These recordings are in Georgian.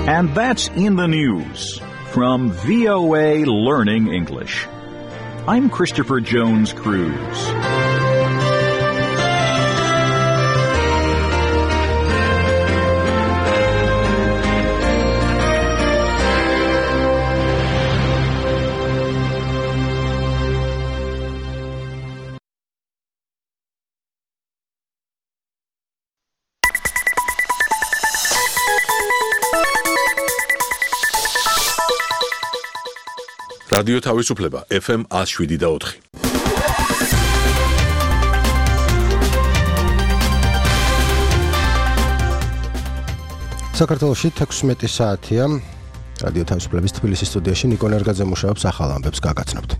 And that's in the news from VOA Learning English. I'm Christopher Jones Cruz. რადიო თავისუფლება FM 107.4. საქართველოში 16 საათია. რადიო თავისუფლების თბილისის სტუდიაში ნიკო ნერგაძე მუშაობს, ახალ ამბებს გაგაცნობთ.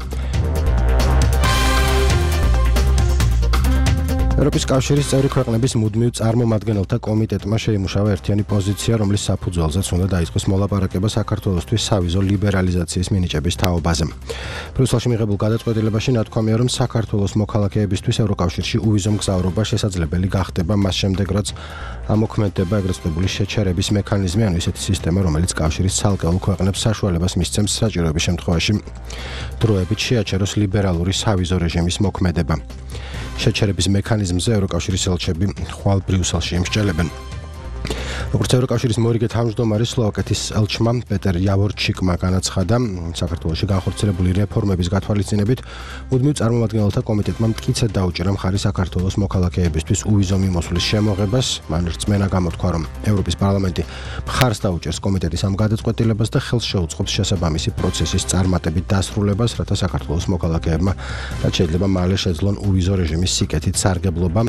ევროპის კავშირის წევრი ქვეყნების მუდმივ წარმომადგენელთა კომიტეტმა შეიმუშავა ერთიანი პოზიცია, რომლის საფუძველზეც უნდა დაიწყოს მოლაპარაკება საქართველოსთვის სავიზო ლიბერალიზაციის მინიჭების თაობაზე. ბრიუსელში მიღებულ გადაწყვეტილებაში ნათქვამია, რომ საქართველოს მოქალაქეებისთვის ევროკავშირში უვიზო მგზავრობა შესაძლებელი გახდება მას შემდეგ, რაც ამოქმედდება ეგრეთ წოდებული შეჩერების მექანიზმი, ანუ ისეთი სისტემა, რომელიც კავშირის ცალკეულ ქვეყნებს საშუალებას მისცემს საჭიროების შემთხვევაში დროებით შეაჩეროს ლიბერალური სავიზო რეჟიმის მოქმედება. შეჩერების მექანიზმზე ევროკავშირის ელჩები ხვალ ბრიუსელში იმსჯელებენ. როგორც ევროკავშირის მორიგე თავმჯდომარე სლოვაკეთის ელჩმა პეტერ იავორჩიკმა განაცხადა, საქართველოში განხორციელებული რეფორმების გათვალისწინებით მუდმივ წარმომადგენელთა კომიტეტმა მტკიცედ დაუჭირა მხარი საქართველოს მოქალაქეებისთვის უვიზო მიმოსვლის შემოღებას. მან რწმენა გამოთქვა, რომ ევროპის პარლამენტი მხარს დაუჭერს კომიტეტის ამ გადაწყვეტილებას და ხელს შეუწყობს შესაბამისი პროცესის წარმატებით დასრულებას, რათა საქართველოს მოქალაქეებმა რაც შეიძლება მალე შეძლონ უვიზო რეჟიმის სიკეთით სარგებლობა.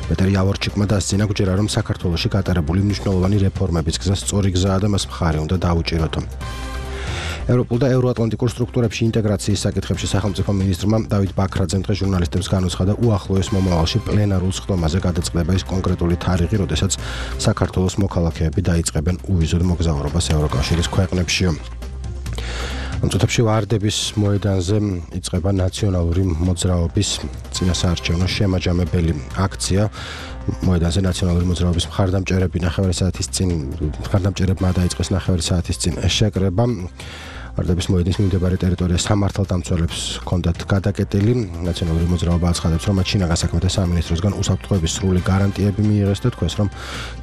პეტერ იავორჩიკმა დასძინა გვჯერა, რომ საქართველოში გატარებული მნიშვნელოვანი რეფორმების გზა სწორი გზაა და მას მხარი უნდა დაუჭიროთო. ევროპულ და ევროატლანტიკურ სტრუქტურებში ინტეგრაციის საკითხებში სახელმწიფო მინისტრმა დავით ბაქრაძემ დღეს ჟურნალისტებს განუცხადა, უახლოეს მომავალში პლენარულ სხდომაზე გადაწყდება ის კონკრეტული თარიღი, როდესაც საქართველოს მოქალაქეები დაიწყებენ უვიზოდ მოგზაურობას ევროკავშირის ქვეყნებშიო. ამ წუთებში ვარდების მოედანზე იწყება ნაციონალური მოძრაობის წინასაარჩევნო შემაჯამებელი აქცია. მოედანზე ნაციონალური მოძრაობის მხარდამჭერებმა დაიწყეს 9 საათის წინ შეკრება. ვარდების მოედნის მიმდებარე ტერიტორია სამართალდამცველებს ჰქონდათ გადაკეტილი. ნაციონალური მოძრაობა აცხადებს, რომ მათ შინაგან საქმეთა სამინისტროსგან უსაფრთხოების სრული გარანტიები მიიღეს და თქვენს, რომ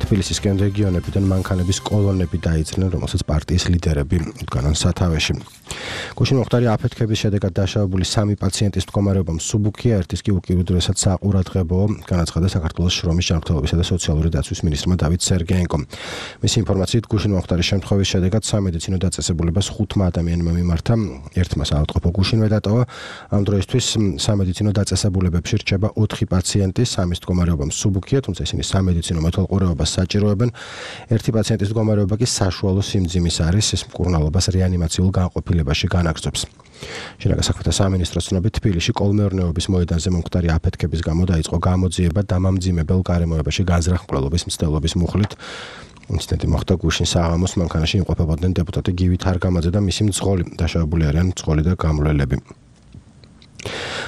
თბილისისკენ რეგიონებიდან მანქანების კოლონები დაიძრნენ, რომელსაც პარტიის ლიდერები უდგანან სათავეში. გუშინ მოხდარი აფეთქების შედეგად დაშავებული 3 პაციენტის მდგომარეობა მსუბუქია, ერთის კი უკიდურესად საყურადღებოა, განაცხადა საქართველოს შრომის ჯანმრთელობისა და სოციალური დაცვის მინისტრმა დავით სერგეენკომ. მისი ინფორმაციით, გუშინ მოხდარი შემთხვევის შედეგად სამედიცინო დაწესებულებას 5 ადამიანმა მიმართა, ერთმა საავადმყოფო გუშინვე დატოვა. ამ დროისთვის სამედიცინო დაწესებულებებში რჩება 4 პაციენტი, 3-ის მდგომარეობა მსუბუქია, თუმცა ისინი სამედიცინო მეთვალყურეობას საჭიროებენ. ერთი პაციენტის მდგომარეობა კი საშუალო სიმძიმის არის, ეს მკურნალობას რეანიმაციულ განყოფილებაში განაგრძობს. შინაგან საქმეთა სამინისტროს ცნობით, თბილისში კოლმეურნეობის მოედანზე მომხდარი აფეთქების გამო დაიწყო გამოძიება დამამძიმებელ გარემოებაში განზრახმკვლელობის მცდელობის მუხლით. ინციდენტი მოხდა გუშინ საღამოს, მანქანაში იმყოფებოდნენ დეპუტატი გივი თარგამაძე და მისი მძღოლი. დაშავებული არიან მძღოლი და გამლველები.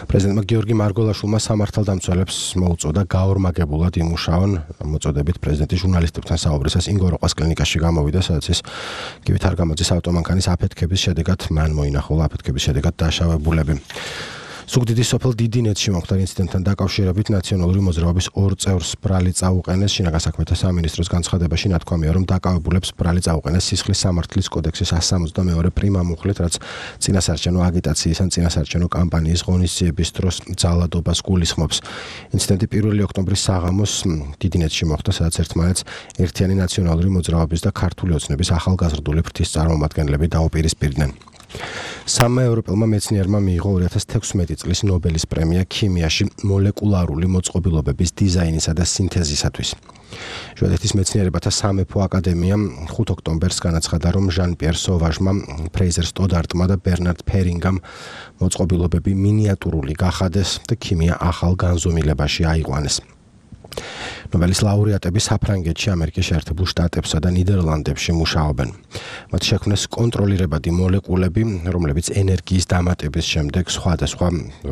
პრეზიდენტმა გიორგი მარგოლაშვილმა სამართალდამცველებს მოუწოდა გაორმაგებულად იმუშაონ. მოწოდებით პრეზიდენტი ჟურნალისტებთან საუბრისას ინგოროყას კლინიკაში გამოვიდა, სადაც ის გივი თარგამაძის ავტომანქანის აფეთქების შედეგად მან მოინახულა აფეთქების შედეგად დაშავებულები. სუგდიდის სოფელ დიდინეთში მოხდა ინციდენტთან დაკავშირებით ნაციონალური მოძრაობის 2 წევრს ბრალი წაუყენეს. შინაგან საქმეთა სამინისტროს განცხადებაში ნათქვამია, რომ დაკავებულებს ბრალი წაუყენეს სისხლის სამართლის კოდექსის 162 პრიმა მუხლით, რაც წინასაარჩევნო აგიტაციის ან წინასაარჩევნო კამპანიის ღონისძიების დროს ძალადობას გულისხმობს. ინციდენტი 1 ოქტომბრის საღამოს დიდინეთში მოხდა, სადაც ერთმანეთს ერთიანი ნაციონალური მოძრაობის და ქართული ოცნების ახალგაზრდული ფრთის წარმომადგენლები დაუპირისპირდნენ. 3 ევროპელმა მეცნიერმა მიიღო 2016 წლის ნობელის პრემია ქიმიაში მოლეკულარული მოწყობილობების დიზაინისა და სინთეზისათვის. შვედეთის მეცნიერებათა სამეფო აკადემიამ 5 ოქტომბერს განაცხადა, რომ ჟან-პიერ სოვაჟმა, ფრეიზერ სტოდარტმა და ბერნარდ ფერინგამ მოწყობილობები მინიატურული გახადეს და ქიმია ახალ განზომილებაში აიყვანეს. ნობელის ლაურეატები საფრანგეთში, ამერიკის შეერთებულ შტატებსა და ნიდერლანდებში მუშაობენ. მათ შექმნეს კონტროლირებადი მოლეკულები, რომლებიც ენერგიის დამატების შემდეგ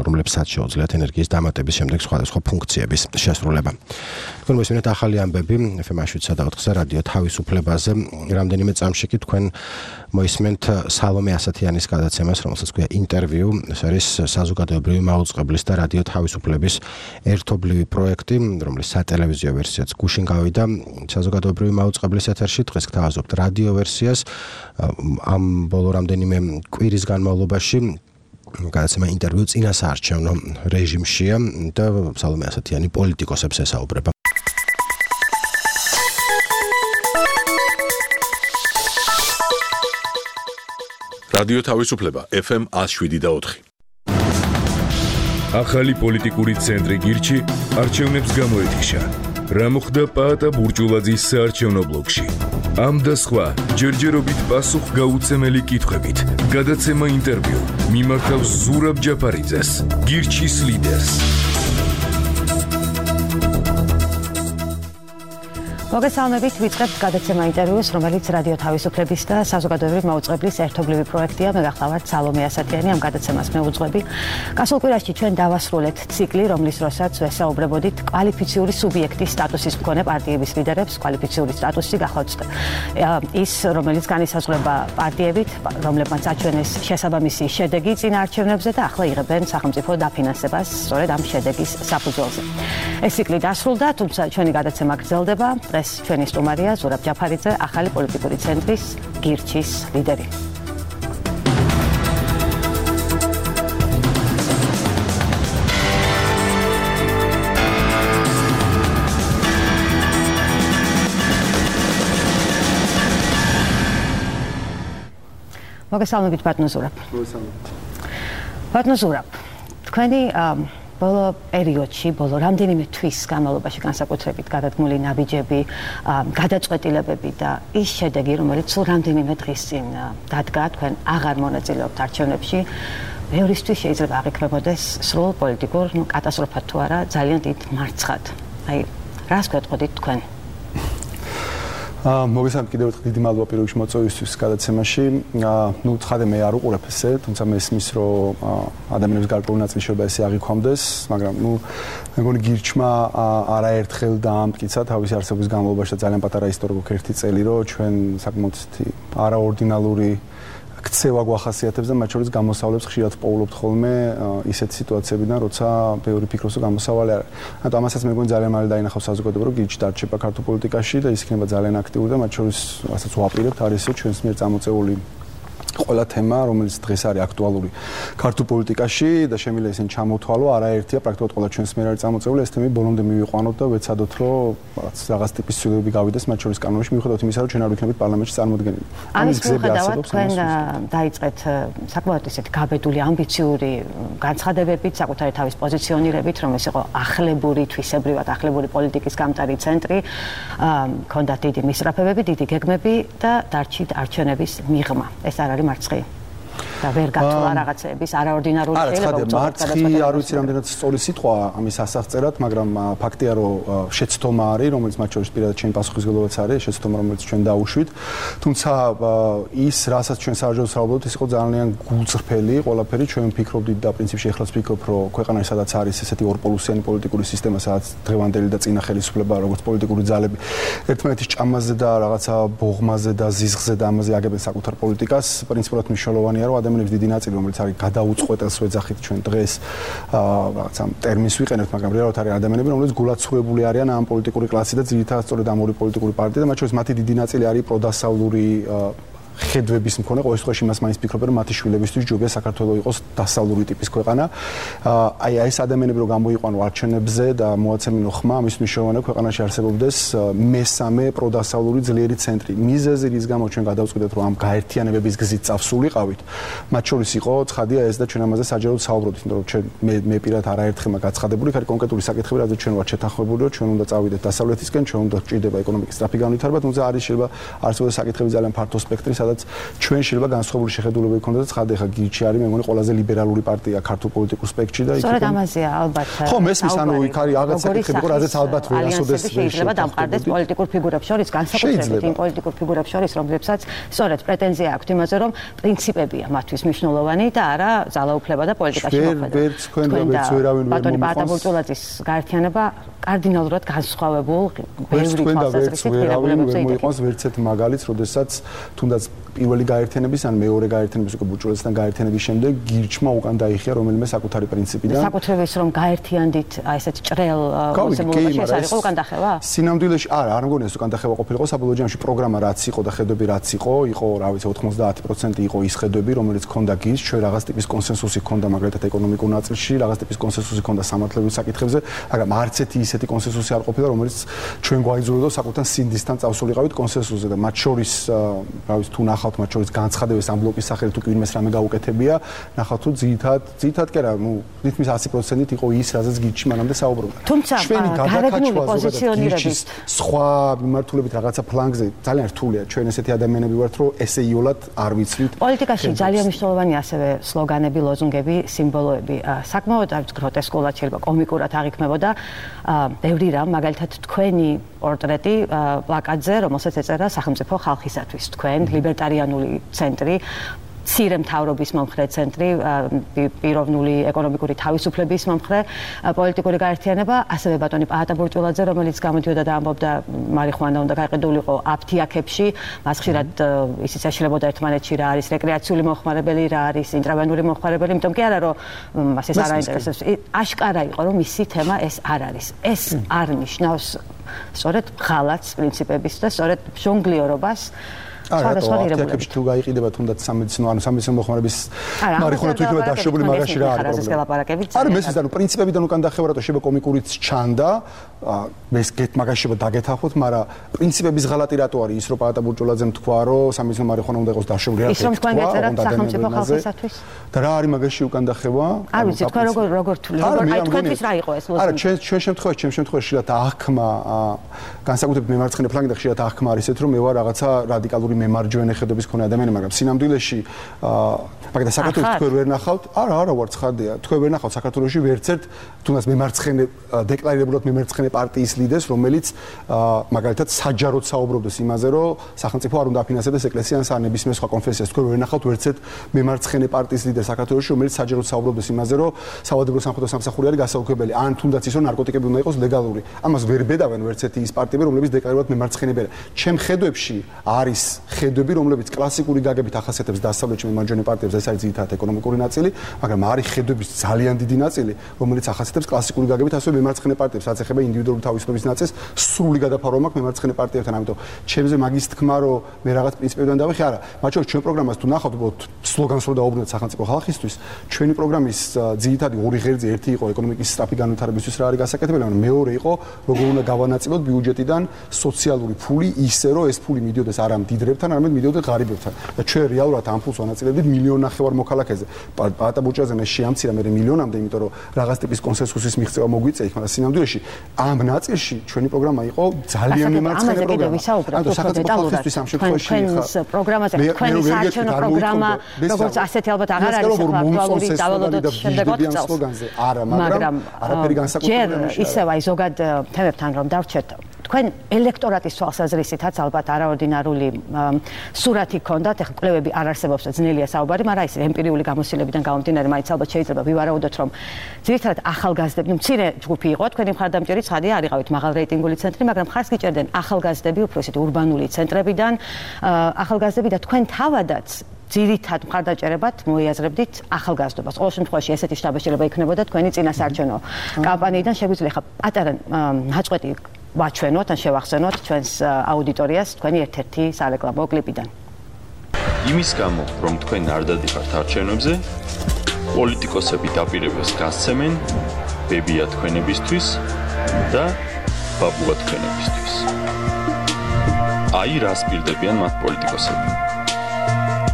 რომლებსაც შეუძლიათ ენერგიის დამატების შემდეგ სხვადასხვა ფუნქციების შესრულება. თქვენ მოსმენთ ახალი ამბები FM-7 და 4-ზე რადიო თავისუფლებაზე. რამდენიმე წამში კი თქვენ მოისმენთ სალომე ასათიანის გადაცემას, რომელსაც ქვია ინტერვიუ. ეს არის საზოგადოებრივი მაუწყებლის და რადიო თავისუფლების ერთობლივი პროექტი, რომლის სატელევიზიო ვერსიაც გუშინ გავიდა საზოგადოებრივი მაუწყებლის ეთერში. დღეს გთავაზობთ რადიო ვერსიას. ამ ბოლო რამდენიმე კვირის განმავლობაში გადაცემა ინტერვიუ წინასაარჩევნო რეჟიმშია და სალომე ასათიანი პოლიტიკოსებს ესაუბრება. რადიო თავისუფლება FM 107.4. ახალი პოლიტიკური ცენტრი გირჩი არჩევნებს გამოეთიშა. რა მოხდა პაატა ბურჯულაძის საარჩევნო ბლოკში? ამ და სხვა ჯერჯერობით პასუხგაუცემელი კითხვებით გადაცემა ინტერვიუ მიმართავს ზურაბ ჯაფარიძეს, გირჩის ლიდერს. მოგესალმებით, ვიწყებთ გადაცემა ინტერვიუს, რომელიც რადიო თავისუფლების და საზოგადოებრივი მაუწყებლის ერთობლივი პროექტია. მე გახლავართ სალომე ასათიანი, ამ გადაცემას მე უძღვები. გასულ კვირაში ჩვენ დავასრულეთ ციკლი, რომლის დროსაც ვესაუბრებოდით კვალიფიციური სუბიექტის სტატუსის მქონე პარტიების ლიდერებს. კვალიფიციური სტატუსი გახლავთ ის, რომელიც განისაზღვრება პარტიებით, რომლებმაც აჩვენეს შესაბამისი შედეგი წინა არჩევნებზე და ახლა იღებენ სახელმწიფო დაფინანსებას სწორედ ამ შედეგის საფუძველზე. ეს ციკლი დასრულდა, თუმცა ჩვენი გადაცემა გრძელდება. ჩვენი სტუმარია ზურაბ ჯაფარიძე, ახალი პოლიტიკური ცენტრის გირჩის ლიდერი. მოგესალმებით, ბატონო ზურაბ. მოგესალმებით. ბატონო ზურაბ, თქვენი ბოლო პერიოდში, ბოლო რამდენიმე თვის განმავლობაში განსაკუთრებით გადადგმული ნაბიჯები, გადაწყვეტილებები და ის შედეგი, რომელიც სულ რამდენიმე დღის წინ დადგა, თქვენ აღარ მონაწილეობთ არჩევნებში, მეორისთვის შეიძლება აღიქვამოდეს სრულ პოლიტიკურ კატასტროფად თუ არა, ძალიან დიდ მარცხად. აი, რას გვეტყოდით თქვენ? მოგესალმებით კიდევ ერთხელ დიდი მადლობა პირველში მოწვევისთვის გადაცემაში. ცხადე მე არ უყურებ ესე, თუმცა მესმის რომ ადამიანების გარკვეული ნაწილი შეიძლება ესე აღიქვამდეს, მაგრამ მე მგონი გირჩმა არაერთხელ დაამტკიცა თავისი არსებობის განმავლობაში და ძალიან პატარა ისტორია გვაქვს ერთი წელი, რომ ჩვენ საკმაოდ არაორდინალური ქცევა გვახასიათებს და მათ შორის გამოსავლებს ხშირად პოულობთ ხოლმე ისეთ სიტუაციებიდან, როცა ბევრი ფიქრობს, რომ გამოსავალი არ არის. ანუ ამასაც მე მგონი ძალიან მალე დაინახავს საზოგადოება, რომ გირჩი დარჩება ქართულ პოლიტიკაში და ის იქნება ძალიან აქტიური და მათ შორის რასაც ვაპირებთ არის ისე ჩვენს მიერ წამოწეული ყველა თემა, რომელიც დღეს არის აქტუალური ქართულ პოლიტიკაში და შემიძლია ისინი ჩამოთვალო, არაერთია პრაქტიკულად ყველა ჩვენს მიერ არის წამოწეული, ეს თემები ბოლომდე მივიყვანოთ და ვეცადოთ, რომ რაღაც ტიპის ცვლილებები გავიდეს მათ შორის კანონში, მიუხედავად იმისა, რომ ჩვენ არ ვიქნებით პარლამენტში წარმოდგენილი. ამის მიუხედავად თქვენ დაიწყეთ საკმაოდ ისეთი გაბედული, ამბიციური განცხადებებით, საკუთარი თავის პოზიციონირებით, რომ ეს იყო ახლებური, თვისებრივად ახლებური პოლიტიკის გამტარი ცენტრი, ჰქონდათ დიდი მისწრაფებები, დიდი გეგმები და დარჩით არჩევნების მიღმა. ეს არ არის მარცხი და ვერ გათვლა რაღაცების არაორდინარული შეიძლება უწოდოთ მარცხი არ ვიცი რამდენად სწორი სიტყვა ამის ასახწერად, მაგრამ ფაქტია რომ შეცდომა არის, რომელიც მათ შორის პირადად ჩემი პასუხისმგებლობაც არის, შეცდომა რომელიც ჩვენ დაუშვით. თუმცა ის რასაც ჩვენ საერთოდ ვსაუბრობთ, ის იყო ძალიან გულწრფელი ყველაფერი, ჩვენ ვფიქრობდით და პრინციპში ეხლაც ვფიქრობ, რომ ქვეყანაში სადაც არის ესეთი ორპოლუსიანი პოლიტიკური სისტემა, სადაც დღევანდელი და წინა ხელისუფლება, როგორც პოლიტიკური ძალები ერთმანეთის ჭამაზე და რაღაცა ბოღმაზე და ზიზღზე და ამაზე აგებენ საკუთარ პოლიტიკას, პრინციპულად მნიშვნელოვანია, რომ ადამიანების დიდი ნაწილი, რომელიც არის გადაუწყვეტელს ვეძახით ჩვენ დღეს რაღაცა ტერმინს ვიყენებთ, მაგრამ რეალურად არის ადამიანები, რომლებიც გულაცურებული არიან ამ პოლიტიკური კლასი და ძირითადად სწორედ ამ ორი პოლიტიკური პარტია და მათ შორის მათი დიდი ნაწილი არის პროდასავლური ხედვების მქონე, ყოველ შემთხვევაში იმას მაინც ფიქრობენ, რომ მათი შვილებისთვის ჯობია საქართველოს იყოს დასავლური ტიპის ქვეყანა. აი ეს ადამიანები რომ გამოიყვანო არჩევნებზე და მოაცემინო ხმა, ამის მნიშვნელოვანია ქვეყანაში არსებობდეს მესამე პროდასავლური ძლიერი ცენტრი. მიზეზი რის გამო ჩვენ გადავწყვიტეთ, რომ ამ გაერთიანებების გზით წავსულიყავით, მათ შორის იყო ცხადია ეს და ჩვენ ამაზე საჯაროდ საუბრობთ, იმიტომ რომ მე პირადად არაერთხელ გაცხადებული, იქ არის კონკრეტული საკითხები, რადგან ჩვენ ვართ შეთანხმებული, რომ ჩვენ უნდა წავიდეთ დასავლეთისკენ, ჩვენ უნდა გჭირდება ეკონომიკის სწრაფი განვითარება, თუმცა არის შეიძლება არსებობს საკითხები ძალიან ფართო სპექტრის სადაც ჩვენ შეიძლება განსხვავებული შეხედულებები გქონდეს. ხადე ხა გირჩი არის მე მგონი ყველაზე ლიბერალური პარტია ქართულ პოლიტიკურ სპექტრში და იქ სწორედ ამაზეა ალბათ. ხო, მესმის ანუ იქ არის რაღაც საკითხები, რაზეც ალბათ ვერ ასოდეს შეიძლება დამყარდეს პოლიტიკურ ფიგურებს შორის, განსაკუთრებით იმ პოლიტიკურ ფიგურებს შორის, რომლებსაც სწორედ პრეტენზია აქვთ იმაზე, რომ პრინციპებია მათთვის მნიშვნელოვანი და არა ძალაუფლება და პოლიტიკაში მოქმედება. ვერც თქვენ როგორც ვერავინ ვერ ბატონი პაატა ბურჭულაძის გაერთიანება კარდინალურად განსხვავებულ ბევრი თვალსაზრისით პირობებებზე მოიყავს ვერც ერთ მაგალითს, როდესაც თუნდაც პირველი გაერთიანების ან მეორე გაერთიანების უკვე ბურჭულაძესთან გაერთიანების შემდეგ გირჩმა უკან დაიხია რომელიმე საკუთარი პრინციპიდან. საკუთრების რომ გაერთიანდით აი ესეთ ჭრელ მოსემულობაში ეს არის უკან დახევა? სინამდვილეში არა მგონია ეს უკან დახევა ყოფილიყო საბოლოო ჯამში პროგრამა რაც იყო და ხედვები რაც იყო, რა ვიცი 90% იყო ის ხედვები რომელიც ჰქონდა გირჩ, ჩვენ რაღაც ტიპის კონსენსუსი ჰქონდა მაგალითად ეკონომიკურ ნაწილში, რაღაც ტიპის კონსენსუსი ჰქონდა სამართლებრივ საკითხებზე, მაგრამ არც ერთი ისეთი კონსენსუსი არ ყოფილა რომელიც ჩვენ გვაიძულებდა საკუთარ სინდისთან წავსულიყავით კონსენსუსზე და მათ შორის რა ვიცი თუ ნახავთ მათ შორის განცხადებებს ამ ბლოკის სახელით თუ ვინმეს რამე გაუკეთებია, ნახავთ თუ ძირითადად კი არა, თითქმის 100%-ით იყო ის, რაზეც გირჩი მანამდე საუბრობდა. თუმცა გარეგნული პოზიციონირების სხვა მიმართულებით რაღაცა ფლანგზე ძალიან რთულია. ჩვენ ესეთი ადამიანები ვართ, რომ ესეიოლად არ ვიცვით. პოლიტიკაში ძალიან მნიშვნელოვანია ასევე სლოგანები, ლოზუნგები, სიმბოლოები. საკმაოდ არის გროტესკულად შეიძლება კომიკურად აღიქმებოდა ბევრი რამ, მაგალითად თქვენი პორტრეტი პლაკატზე, რომელსაც ეწერა სახელმწიფო ხალხისათვის, თქვენ ლიბერტარიანული ცენტრი, მცირე მთავრობის მომხრე ცენტრი, პიროვნული ეკონომიკური თავისუფლების მომხრე პოლიტიკური გაერთიანება, ასევე ბატონი პაატა ბურჭულაძე, რომელიც გამოდიოდა და ამბობდა მარიხუანა უნდა გაიყიდულიყო აფთიაქებში, მას ხშირად ისიც ეშლებოდა ერთმანეთში რა არის რეკრეაციული მოხმარებელი, რა არის ინტრავენური მოხმარებელი, იმიტომ კი არა რომ მას ეს არ აინტერესებს. აშკარა იყო რომ მისი თემა ეს არ არის. ეს არ ნიშნავს სწორედ ღალატს პრინციპების და სწორედ ჟონგლიორობას. არა, აფთიაქებში თუ გაიყიდება თუნდაც სამედიცინო მოხმარების მარიხუანა თუ იქნება დაშვებული მაგაში რა არის პრობლემა. არა, მესმის ანუ პრინციპებიდან უკან დახევა რატო შეიძლება კომიკურიც ჩანდა, ეს მაგაში შეიძლება დაგეთახოთ, მაგრამ პრინციპების ღალატი რატო არის ის რომ პაატა ბურჭულაძემ თქვა რომ სამედიცინო მარიხუანა უნდა იყოს დაშვებული რა ის რომ თქვენ ეწერათ სახელმწიფო ხალხისათვის და რა არის მაგაში უკან დახევა? არ ვიცი თქვენ როგორ თვლით, აი თქვენთვის რა იყო ეს ლოზუნგი? არა, ჩვენ შემთხვევაში ხშირად აღქმა განსაკუთრებით მემარცხენე ფლანგი და ხშირად აღქმა არის ესეთ რომ მე ვარ რაღაცა რადიკალური მემარჯვენე ხედვების მქონე ადამიანი, მაგრამ სინამდვილეში მაგალითად საქართველოს თქვენ ვერ ნახავთ? არა, ვარ ცხადია. თქვენ ვერ ნახავთ საქართველოში ვერც ერთ თუნდაც მემარცხენე დეკლარირებულად მემარცხენე პარტიის ლიდერს, რომელიც მაგალითად საჯაროდ საუბრობდეს იმაზე, რომ სახელმწიფო არ უნდა აფინანსებდეს ეკლესიას ან ნებისმიერ სხვა კონფესიას. თქვენ ვერ ნახავთ ვერც ერთ მემარცხენე პარტიის ლიდერს საქართველოში, რომელიც საჯაროდ საუბრობდეს იმაზე, რომ სავალდებულო სამხედრო სამსახური არის გასაუქებელი, ან თუნდაც ის რომ ნარკოტიკები უნდა იყოს ლეგალური. ამას ვერ ბედავენ ვერც ერთი ის პარტიები, რომლებიც დეკლარირებულად მემარცხენეები არიან. ჩემ ხედვებში არის ხედვები, რომლებიც კლასიკური გაგებით ახასიათებს დასავლეთში მემარჯვენე პარტიებს, ეს არის ძირითადად ეკონომიკური ნაწილი, მაგრამ არის ხედვების ძალიან დიდი ნაწილი, რომელიც ახასიათებს კლასიკური გაგებით ასევე მემარცხენე პარტიებს, რაც ეხება ინდივიდუალური თავისუფლების ნაწილს, სრული გადაფარვა მაქვს მემარცხენე პარტიებთან, ამიტომ ჩემზე მაგის თქმა, რომ მე რაღაც პრინციპებიდან დავეხი, არა, მათ შორის ჩვენ პროგრამას თუ ნახავთ, სლოგანს რო დაუბრუნდეთ სახელმწიფო ხალხისთვის, ჩვენი პროგრამის ძირითადი ორი ღერძი, ერთი იყო ეკონომიკის სწრაფი განვითარებისთვის რა არის გასაკეთებელი, მაგრამ მეორე იყო როგორ უნდა გავანაწილოთ ბიუჯეტიდან სოციალური ფული ისე, რომ ეს ფული მიდიოდეს არა მდიდრებთან, არამედ მიდიოდეს ღარიბებთან. და ჩვენ რეალურად ამ ფულს ვანაწილებდით 1.5 მილიონი მოქალაქეზე. პაატა ბურჭულაძემ შეამცირა მე მილიონამდე, იმიტომ რომ რაღაც ტიპის კონსენსუსის მიღწევა მოგვიწია იქ, მაგრამ სინამდვილეში ამ ნაწილში ჩვენი პროგრამა იყო ძალიან მემარცხენე პროგრამა. ანუ სახელმწიფო ხალხისთვის ამ შემთხვევაში თქვენს პროგრამაზე თქვენი საარჩევნო პროგრამა როგორც ასეთი ალბათ აღარ არის აქტუალური დავალოდოთ შემდეგ 4 წელს. არა, მაგრამ არაფერი განსაკუთრებული არ არის. ისევ აი ზოგად თემებთან რომ დავრჩეთ თქვენ ელექტორატის თვალსაზრისითაც ალბათ არაორდინარული სურათი გქონდათ, ეხლა კვლევები არ არსებობს და ძნელია საუბარი, მაგრამ ის ემპირიული გამოცდილებიდან გამომდინარე მაინც ალბათ შეიძლება ვივარაუდოთ, რომ ძირითადად ახალგაზრდები, მცირე ჯგუფი იყო, თქვენი მხარდამჭერი ცხადია, არ იყავით მაღალ რეიტინგული ცენტრი, მაგრამ ხარს გიჭერდნენ ახალგაზრდები, უფრო ისეთი ურბანული ცენტრებიდან, ახალგაზრდები და თქვენ თავადაც ძირითად მხარდაჭერებად მოიაზრებდით ახალგაზრდობას. ყოველ შემთხვევაში ესეთი შთაბეჭდილება იქნებოდა თქვენი წინასაარჩევნო კამპანიიდან. შეგვიძლია ხა პატარა ნაწყვეტი ვაჩვენოთ ან შევახსენოთ ჩვენს აუდიტორიას თქვენი ერთ-ერთი სარეკლამო კლიპიდან. იმის გამო, რომ თქვენ არ დადიხართ არჩევნებზე, პოლიტიკოსები დაპირებას გასცემენ ბებია თქვენებისთვის და ბაბუა თქვენებისთვის. აი რას პირდებიან მათ პოლიტიკოსები.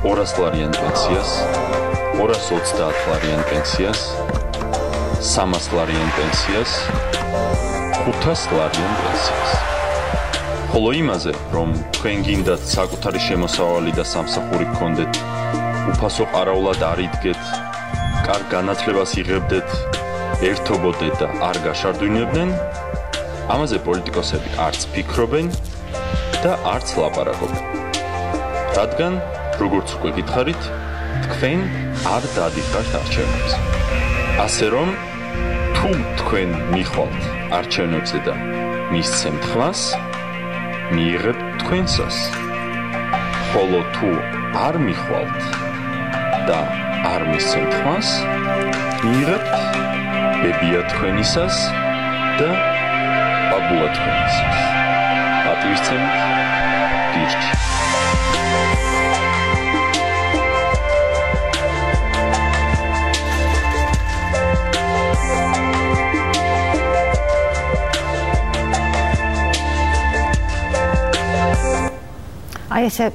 200 ლარიან პენსიას, 220 ლარიან პენსიას, 300 ლარიან პენსიას, 500 ლარიან პენსიას. ხოლო იმაზე, რომ თქვენ გინდათ საკუთარი შემოსავალი და სამსახური გქონდეთ, უფასო ყარაულად არ იდგეთ, კარგ განათლებას იღებდეთ, ერთობოდეთ და არ გაშარდვინებდნენ, ამაზე პოლიტიკოსები არც ფიქრობენ და არც ლაპარაკობენ. რადგან, როგორც უკვე გითხარით, თქვენ არ დადიხართ არჩევნებზე. ასე რომ, თუ თქვენ მიხვალთ არჩევნებზე და მისცემთ ხმას, მიიღებთ თქვენსას. ხოლო თუ არ მიხვალთ და არ მისცემთ ხმას, მიიღებთ ბებია თქვენისას და ბაბუა თქვენისას. პატივისცემით გირჩი. აი ესე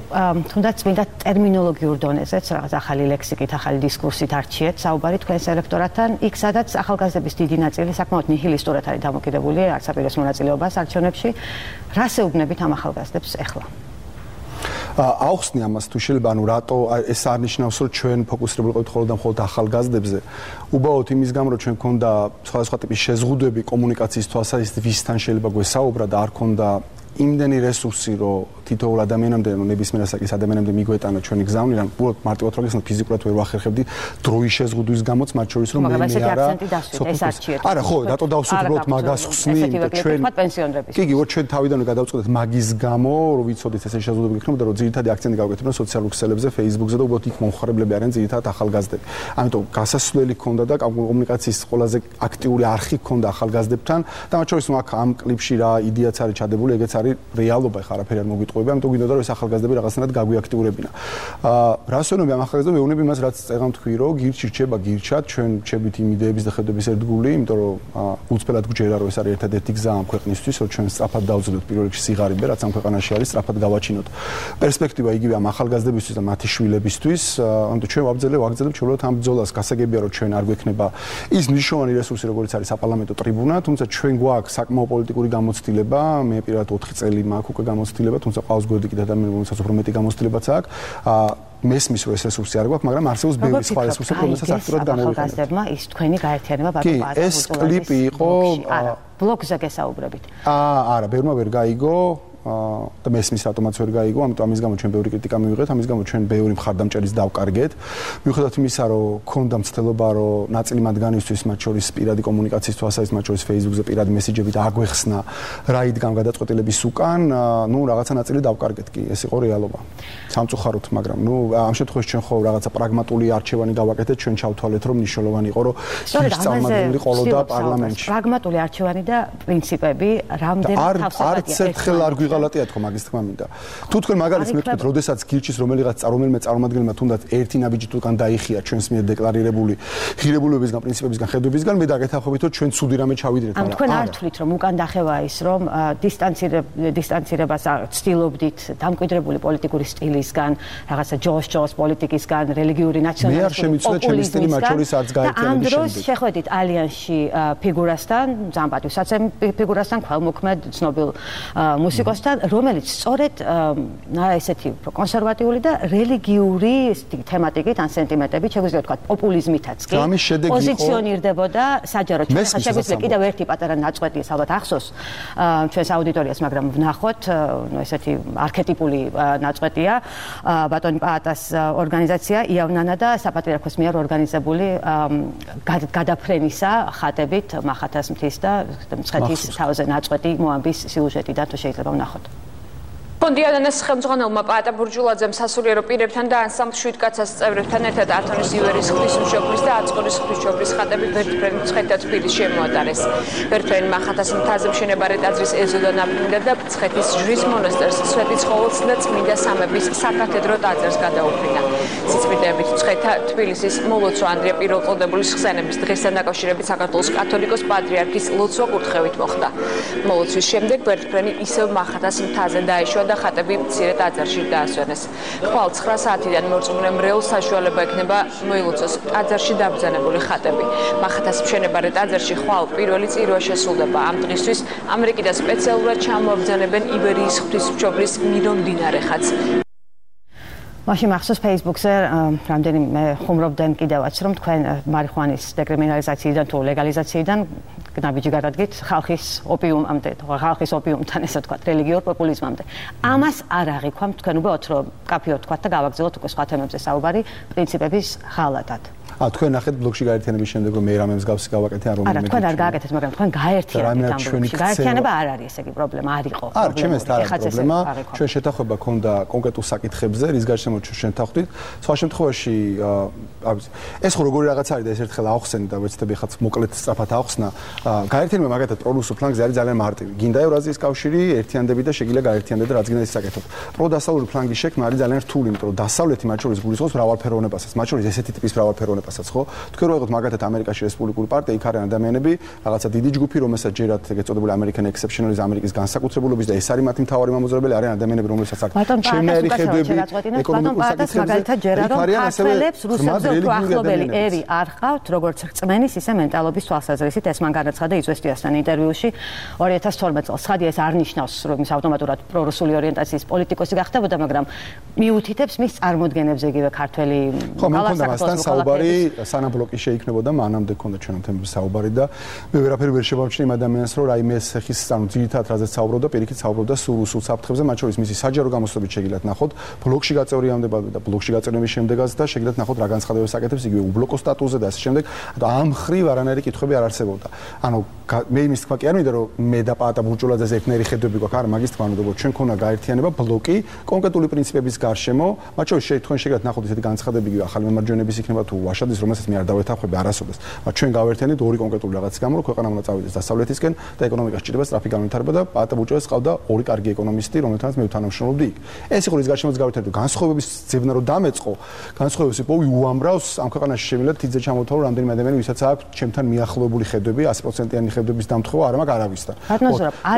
თუნდაც მინდა ტერმინოლოგიურ დონეზეც რაღაც ახალი ლექსიკით, ახალი დისკურსით არჩიეთ საუბარი თქვენს ელექტორატთან, იქ სადაც ახალგაზრდების დიდი ნაწილი საკმაოდ ნიჰილისტურად არის დამოკიდებული არცაპირეს მონაწილეობას არჩევნებში. რას ეუბნებით ამ ახალგაზრდებს ახლა? აუხსნი ამას თუ შეიძლება, ანუ რატო ეს არ ნიშნავს, რომ ჩვენ ფოკუსირებული ვიყავით მხოლოდ და მხოლოდ ახალგაზრდებზე. უბრალოდ იმის გამო, რომ ჩვენ გქონდა სხვადასხვა ტიპის შეზღუდვები კომუნიკაციის თვალსაზრისით, ვისთან შეიძლება გვესაუბრა და არ გქონდა იმდენი რესურსი, რომ თითოეულ ადამიანამდე, ნებისმიერ ასაკის ადამიანამდე მიგვეტანა ჩვენი გზავნი, რა უბრალოდ მარტივად რო გესმით, ფიზიკურად ვერ ვახერხებდი დროის შეზღუდვის გამოც, მათ შორის რომ მე არა. არა, ხო, რატო დავსვით უბრალოდ მაგას ხსნი, იმიტომ ჩვენ კი, უბრალოდ ჩვენ თავიდანვე გადავწყვეტეთ მაგის გამო, რომ ვიცოდით ესე შეზღუდვები გექნებოდა, რომ ძირითადი აქცენტი გავაკეთებდა სოციალურ ქსელებზე, Facebook-ზე და უბრალოდ იქ მომხმარებლები არიან ძირითადად ახალგაზრდები. ამიტომ გასასვლელი ჰქონდა და კომუნიკაციის ყველაზე აქტიური არხი ჰქონდა ახალგაზრდებთან და მათ შორის აქ ამ კლიპში რა იდეაც არის ჩადებული, ეგეც არის რეალობა, ხა არაფერი არ მოგიტყუება, ამიტომ გინდოდა რომ ეს ახალგაზრდები რაღაცნაირად გაგვიაქტიურებინა. რას ვეუბნები ამ ახალგაზრდებს, ვეუბნები იმას, რაც წეგამ თქვი, რომ გირჩი რჩება გირჩად, ჩვენ რჩებით იმ იდეების და ხედვების ერთგული, იმიტომ რომ უცბელად გვჯერა, რომ ეს არის ერთადერთი გზა ამ ქვეყნისთვის, რომ ჩვენ სწრაფად დავძლოთ პირველ რიგში სიღარიბე, რაც ამ ქვეყანაში არის, სწრაფად გავაჩინოთ. პერსპექტივა იგივე ამ ახალგაზრდებისთვის და მათი შვილებისთვის, ამიტომ ჩვენ ვაგრძელებთ ჩვეულებრივ ამ ბრძოლას. გასაგებია, რომ ჩვენ არ გვექნება ის მნიშვნელოვანი რესურსი, როგორც არის საპარლამენტო ტრიბუნა, თუმცა ჩვენ გვაქვს საკმაო პოლიტიკური გამოცდილება, მე პირადად 4 წელი მაქვს უკვე გამოცდილება, თუმცა ყავს გვერდი კიდე ადამიანი, რომელსაც უფრო მეტი გამოცდილებაც აქვს. მესმის რომ ეს რესურსი არ გვაქვს, მაგრამ არსებობს ბევრი სხვა რესურსი, რომელსაც აქტიურად გამოვიყენებთ. ახალგაზრდებმა ის თქვენი გაერთიანება ბატონო. ეს კლიპი იყო ბლოგზე გესაუბრებით. არა, ბევრმა ვერ გაიგო. და მესმის რატომაც ვერ გაიგო, ამიტომ ამის გამო ჩვენ ბევრი კრიტიკა მივიღეთ, ამის გამო ჩვენ ბევრი მხარდამჭერის დავკარგეთ. მიუხედავად იმისა, რომ ქონდა მცდელობა, რომ ნაწილი მათგანისთვის, მათ შორის პირადი კომუნიკაციის თვალსაზრისით, მათ შორის Facebook-ზე პირადი მესიჯებით აგვეხსნა რა იდგამ გადაწყვეტილების უკან, ნუ რაღაცა ნაწილი დავკარგეთ კი, ეს იყო რეალობა. სამწუხაროდ, მაგრამ ნუ ამ შემთხვევაში ჩვენ ხო რაღაცა პრაგმატული არჩევანი გავაკეთეთ, ჩვენ ჩავთვალეთ, რომ მნიშვნელოვანი იყო, რომ წარმატებული ყოლოდა პარლამენტში. პრაგმატული არჩევანი და პრინციპები რამდენად თავსებადია. არ გვიღალატია თქო მაგის თქმა მინდა. თუ თქვენ მაგალითს მეთქვით, როდესაც გირჩის რომელიმე წარმომადგენელმა თუნდაც ერთი ნაბიჯით უკან დაიხია ჩვენს მიერ დეკლარირებული ღირებულებებისგან, პრინციპებისგან, ხედვებისგან, მე დაგეთანხმებით, რომ ჩვენ ცუდი რამე ჩავიდრეთ, მაგრამ თქვენ არ თვლით, რომ უკან დახევაა ის, რომ დისტანცირებას ცდილობდით დამკვიდრებული პოლიტიკური სტილისგან, რაღაცა ჯოს პოლიტიკისგან, რელიგიური ნაციონალიზმის პოპულიზმისგან, ამ დროს შეხვედით ალიანსში ფიგურასთან, ზამბატვისაცემ ფიგურასთან, ქველმოქმედ ცნობილ მუსიკოსთან, რომელიც სწორედ ესეთი კონსერვატიული და რელიგიური თემატიკით ან სენტიმენტებით, შეგვიძლია ვთქვათ, პოპულიზმითაც კი პოზიციონირდებოდა საჯაროდ. შეგვიძლია კიდევ ერთი პატარა ნაწყვეტი ალბათ ახსოვს ჩვენს აუდიტორიას, მაგრამ ვნახოთ, ესეთი არქეტიპული ნაწყვეტია ბატონი პაატას ორგანიზაცია იავნანა და საპატრიარქოს მიერ ორგანიზებული გადაფრენისა ხატებით მახათას მთის და მცხეთის თავზე ნაწყვეტი მოამბის სიუჟეტი და თუ შეიძლება ვნახოთ. კონდიანას ხელმძღვანელმა პაატა ბურჯულაძემ სასულიერო პირებთან და ანსამბლ შვიდკაცას წევრებთან ერთად ათონის ივერის ღვთისმშობლის და აწყურის ღვთისმშობლის ხატები ვერტფრენი მცხეთა თბილისში შემოატარეს. ვერტფრენი მახათას მთაზე მშენებარე ტაძრის ეზოდან აფრინდა და მცხეთის ჯვრის მონასტერს, სვეტიცხოველს და წმინდა სამების საკათედრო ტაძარს გადაუფრინა. სიწმინდეებით მცხეთა თბილისის მოლოცვა ანდრია პირველყოლდებულის ხსენების დღესთან დაკავშირებით საქართველოს კათოლიკოს პატრიარქის ლოცვა კურთხევით მოხდა. მოლოცვის შემდეგ ვერტფრენი ისევ მახათას მთაზე დაეშვა და ხატები მცირე ტაძარში დაასვენეს. ხვალ 9 საათიდან მორწმუნე მრევლს საშუალება ექნება მოილოცოს ტაძარში დაბრძანებული ხატები. მახათას მშენებარე ტაძარში ხვალ პირველი წირვა შესრულდება. ამ დღისთვის ამერიკიდან სპეციალურად ჩამოაბრძანებენ იბერიის ღვთისმშობლის მირონდინარე ხატს. მაშინ მახსოვს Facebook-ზე რამდენიმე ხუმრობდნენ კიდევაც რომ თქვენ მარიხუანის დეკრიმინალიზაციიდან თუ ლეგალიზაციიდან ნაბიჯი გადადგით ხალხის ოპიუმამდე, ხალხის ოპიუმთან ესე ვთქვათ, რელიგიურ პოპულიზმამდე. ამას არ აღიქვამთ თქვენ უბრალოდ რომ კაფეოდ ვთქვათ და გავაგრძელოთ უკვე სხვა თემებზე საუბარი პრინციპების ღალატად. თქვენ ნახეთ ბლოგში გაერთიანების შემდეგ რომ მე რამე მსგავსი გავაკეთე ან არა თქვენ არ გააკეთეთ მაგრამ თქვენ გაერთიანეთ ამ ბლოგში გაერთიანება არ არის ესე იგი პრობლემა არ იყო არა ჩემს არ არის პრობლემა ჩვენ შეთანხმება ქონდა კონკრეტულ საკითხებზე რის გარშემო ჩვენ შეთანხმდით სხვა შემთხვევაში ეს ხო როგორი რაღაც არის და ეს ერთხელ აახსენე და ვეცდები ხაც მოკლედ სწრაფად აახსნა გაერთიანება მაგათად პრორუსულ ფლანგზე არის ძალიან მარტივი გინდა ევრაზიის კავშირი ერთიანდები და შეგიძლია გაერთიანდეთ და რაც გინდა ის საკეთოთ პროდასავლური ფლანგის შექმნა არის ძალიან რთული იმიტომ რომ დასავლეთი მათ შორის გულისხმობს მრავალფეროვნებასაც მათ შორის ესეთი ტიპის მრავალფეროვნებასაც ხო თქვენ რო იღოთ მაგათად ამერიკაში რესპუბლიკური პარტია იქ არიან ადამიანები რაღაცა დიდი ჯგუფი რომელსაც ჯერათ ეგ ეწოდებული American Exceptionalism ამერიკის განსაკუთრებულობის და ეს არის მათი მთავარი მომაზრებელი არიან ადამიანები რომელსაც აქ შემნაირი ხედვები ეკონომიკურ საკითხებზე ახლობელი ერი არ ხავთ როგორც რწმენის ისე მენტალობის თვალსაზრისით ეს მან განაცხადა იზვესტიასთან ინტერვიუში 2012 წელს ხადი ეს არ ნიშნავს რომ ის ავტომატურად პრორუსული ორიენტაციის პოლიტიკოსი გახდებოდა მაგრამ მიუთითებს მის წარმოდგენებზე იგივე ქართველი გალასაკათოლიკოს საუბარი სანამ ბლოკი შეიქმნებოდა მანამდე ქონდა ჩვენთან თემების საუბარი და მე ვერაფერი ვერ შევამჩნი იმ ადამიანს რომ რაიმე სახის ძირითადად რაზეც საუბრობდა პირიქით საუბრობდა სულ საფრთხებზე მათ შორის მისი საჯარო გამოსვლებით შეგიძლიათ ნახოთ ბლოკში გაწევრიანება და ბლოკში გაწევრიანების შემდეგაც და შეგიძლიათ ნახოთ რა განცხადებებს აკეთებს იგივე უბლოკო სტატუსზე და ასე შემდეგ და ამ ხრივ არანაირი კითხვები არ არსებობდა ანუ მე იმის თქვა კი არ მინდა რომ მე და პაატა ბურჯულაძეს ერთნაირი ხედვები გვაქვს არა მაგის თქვა რომ ჩვენ ქონა გაერთიანება ბლოკი კონკრეტული პრინციპების გარშემო მათ შორის თქვენ შეგიძლიათ ნახოთ ესეთი განცხადები იგივე ახალი მემარჯვენეების იქნება თუ ვაშადის რომელსაც მე არ დავეთანხმები არასოდეს მაგრამ ჩვენ გავერთიანეთ ორი კონკრეტული რაღაცის გამო რომ ქვეყანა უნდა წავიდეს დასავლეთისკენ და ეკონომიკას ჭირდება სწრაფი განვითარება და პაატა ბურჯულაძეს ყავდა ორი კარგი ეკონომისტი რომელთანაც მე თანამშრომლობდი იქ ეს იყო რის გარშემოც გავერთიანეთ განსხვავების ძებნა რომ დამეწყო განსხვავების პოვი უამრავს ამ ქვეყანაში შევიდეთ თიძე ჩამოთვალო რამდენიმე ადამიანი ვისაც აქვს ჩემთან მიახლოებული ხედვები 100%-იანი ხედვების დამთხევა არ მაქვს არავისთან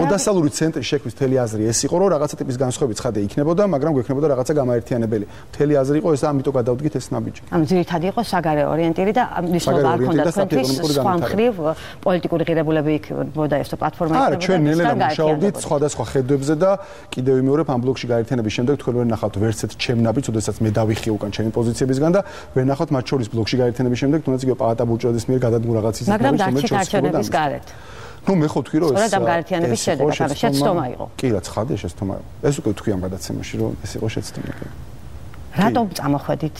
დასავლური ცენტრი შექმნის მთელი აზრი ეს იყო რომ რაღაცა ტიპის განსხვავების ცხადე იქნებოდა მაგრამ გვექნებოდა რაღაცა გამაერთიანებელი მთელი აზრი იყო ეს ამიტომ გადავდგით ეს ნაბიჯი ამ ძირითადად იყო საგარეო ორიენტირი და მნიშვნელობა არ ჰქონდა თქვენთვის სხვა მხრივ პოლიტიკური ღირებულები იქნებოდა ეს პლატფორმა იქნებოდა არა ჩვენ ნელ-ნელა მუშაობდით სხვადასხვა ხედვებზე და კიდევ ვიმეორებ ამ ბლოკში გაერთიანების შემდეგ თქვენ ვერ ნახავთ ვერც ერთ ჩემ ნაბიჯს ოდესაც მე დავიხიე უკან ჩემი პოზიციებისგან და ვერ ნახავთ მათ შორის ბლოკში გაერთიანების შემდეგ თუნდაც იგივე პაატა ბურჯულაძის მიერ გადადგმულ რაღაც ის მაგრამ დარჩით არჩევნების გარეთ ნუ მე ხო თქვი რომ ეს სწორედ ამ გაერთიანების შედეგად ანუ შეცდომა იყო კი რა ცხადია შეცდომა იყო ეს უკვე თქვი ამ გადაცემაში რომ ეს იყო შეცდომა კი რატომ წამოხვედით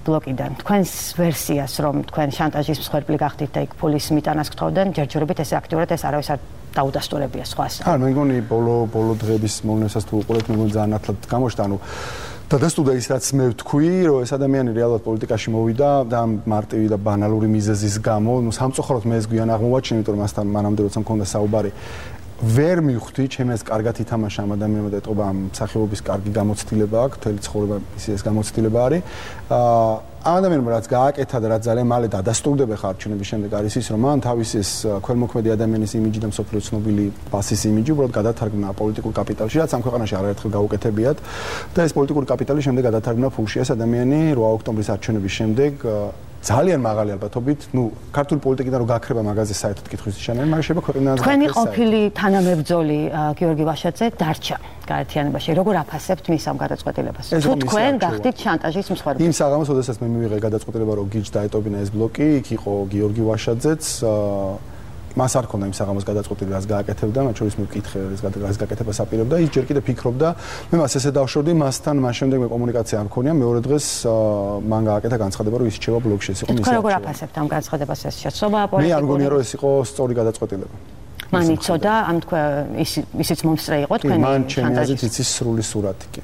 ბლოკიდან თქვენს ვერსიას რომ თქვენ შანტაჟის მსხვერპლი გახდით და იქ ფულის მიტანას გთხოვდნენ ჯერჯერობით ესე აქტიურად ეს არავის არ დაუდასტურებია სხვას არა მე მგონი ბოლო დღეების მოვლენასაც თუ უყურებთ მე მგონი ძალიან ათლად გამოჩნდა ანუ დადასტურდა ის რაც მე ვთქვი რომ ეს ადამიანი რეალურად პოლიტიკაში მოვიდა და მარტივი და ბანალური მიზეზის გამო ნუ სამწუხაროდ მე ეს გვიან აღმოვაჩინე იმიტომ რომ მასთან მანამდე როცა მქონდა საუბარი ვერ მივხვდი ჩემს კარგად ითამაშა ამ ადამიანმა და ეტყობა ამ სახეობის კარგი გამოცდილება აქვს მთელი ცხოვრება ის გამოცდილება არის ამ ადამიანმა რაც გააკეთა და რაც ძალიან მალე დადასტურდება ხარჩენების შემდეგ არის ის რომ მან თავის ეს ქველმოქმედი ადამიანის იმიჯი და მსოფლიო ცნობილი ბასის იმიჯი უბრალოდ გადათარგმნა პოლიტიკურ კაპიტალში რაც ამ ქვეყანაში არაერთხელ გაუკეთებიათ და ეს პოლიტიკური კაპიტალი შემდეგ გადათარგმნა ფულში ეს ადამიანი 8 ოქტომბრის არჩევნების შემდეგ ძალიან მაღალი ალბათობით, ნუ ქართული პოლიტიკიდან რო გაქრება მაგაზე საერთოდ კითხვის შანელი, მაგრამ შეიძლება ქვეყნიდან თქვენი ყოფილი თანამებრძოლი გიორგი ვაშაძე დარჩა გაერთიანებაში. როგორ აფასებთ მის ამ გადაწყვეტილებას? თუ თქვენ გახდით შანტაჟის მსხვერპლი. იმ საღამოს, როდესაც მე მივიღე გადაწყვეტილება, რომ გიჯ დაეტოვებინა ეს ბლოკი, იქ იყო გიორგი ვაშაძეც მას არ ქონდა იმ საღამოს გადაწყვეტილება, რაც გააკეთებდა, მათ შორის მე ვკითხე, რაც გააკეთებას აპირებდა, ის ჯერ კიდევ ფიქრობდა, მე მას ესე დავშორდი, მასთან მას შემდეგ მე კომუნიკაცია არ მქონია, მეორე დღეს მან გააკეთა განცხადება, რომ ის რჩება ბლოკში, ეს იყო მისი. თქვენ როგორ აფასებთ ამ განცხადებას ეს შეცდომა პოლიტიკური? მე არ მგონია, რომ ეს იყო სწორი გადაწყვეტილება. მან იცოდა, ამ თქვენ ისიც მომსწრე იყო თქვენი მან ჩემი აზრით იცის სრული სურათი კი.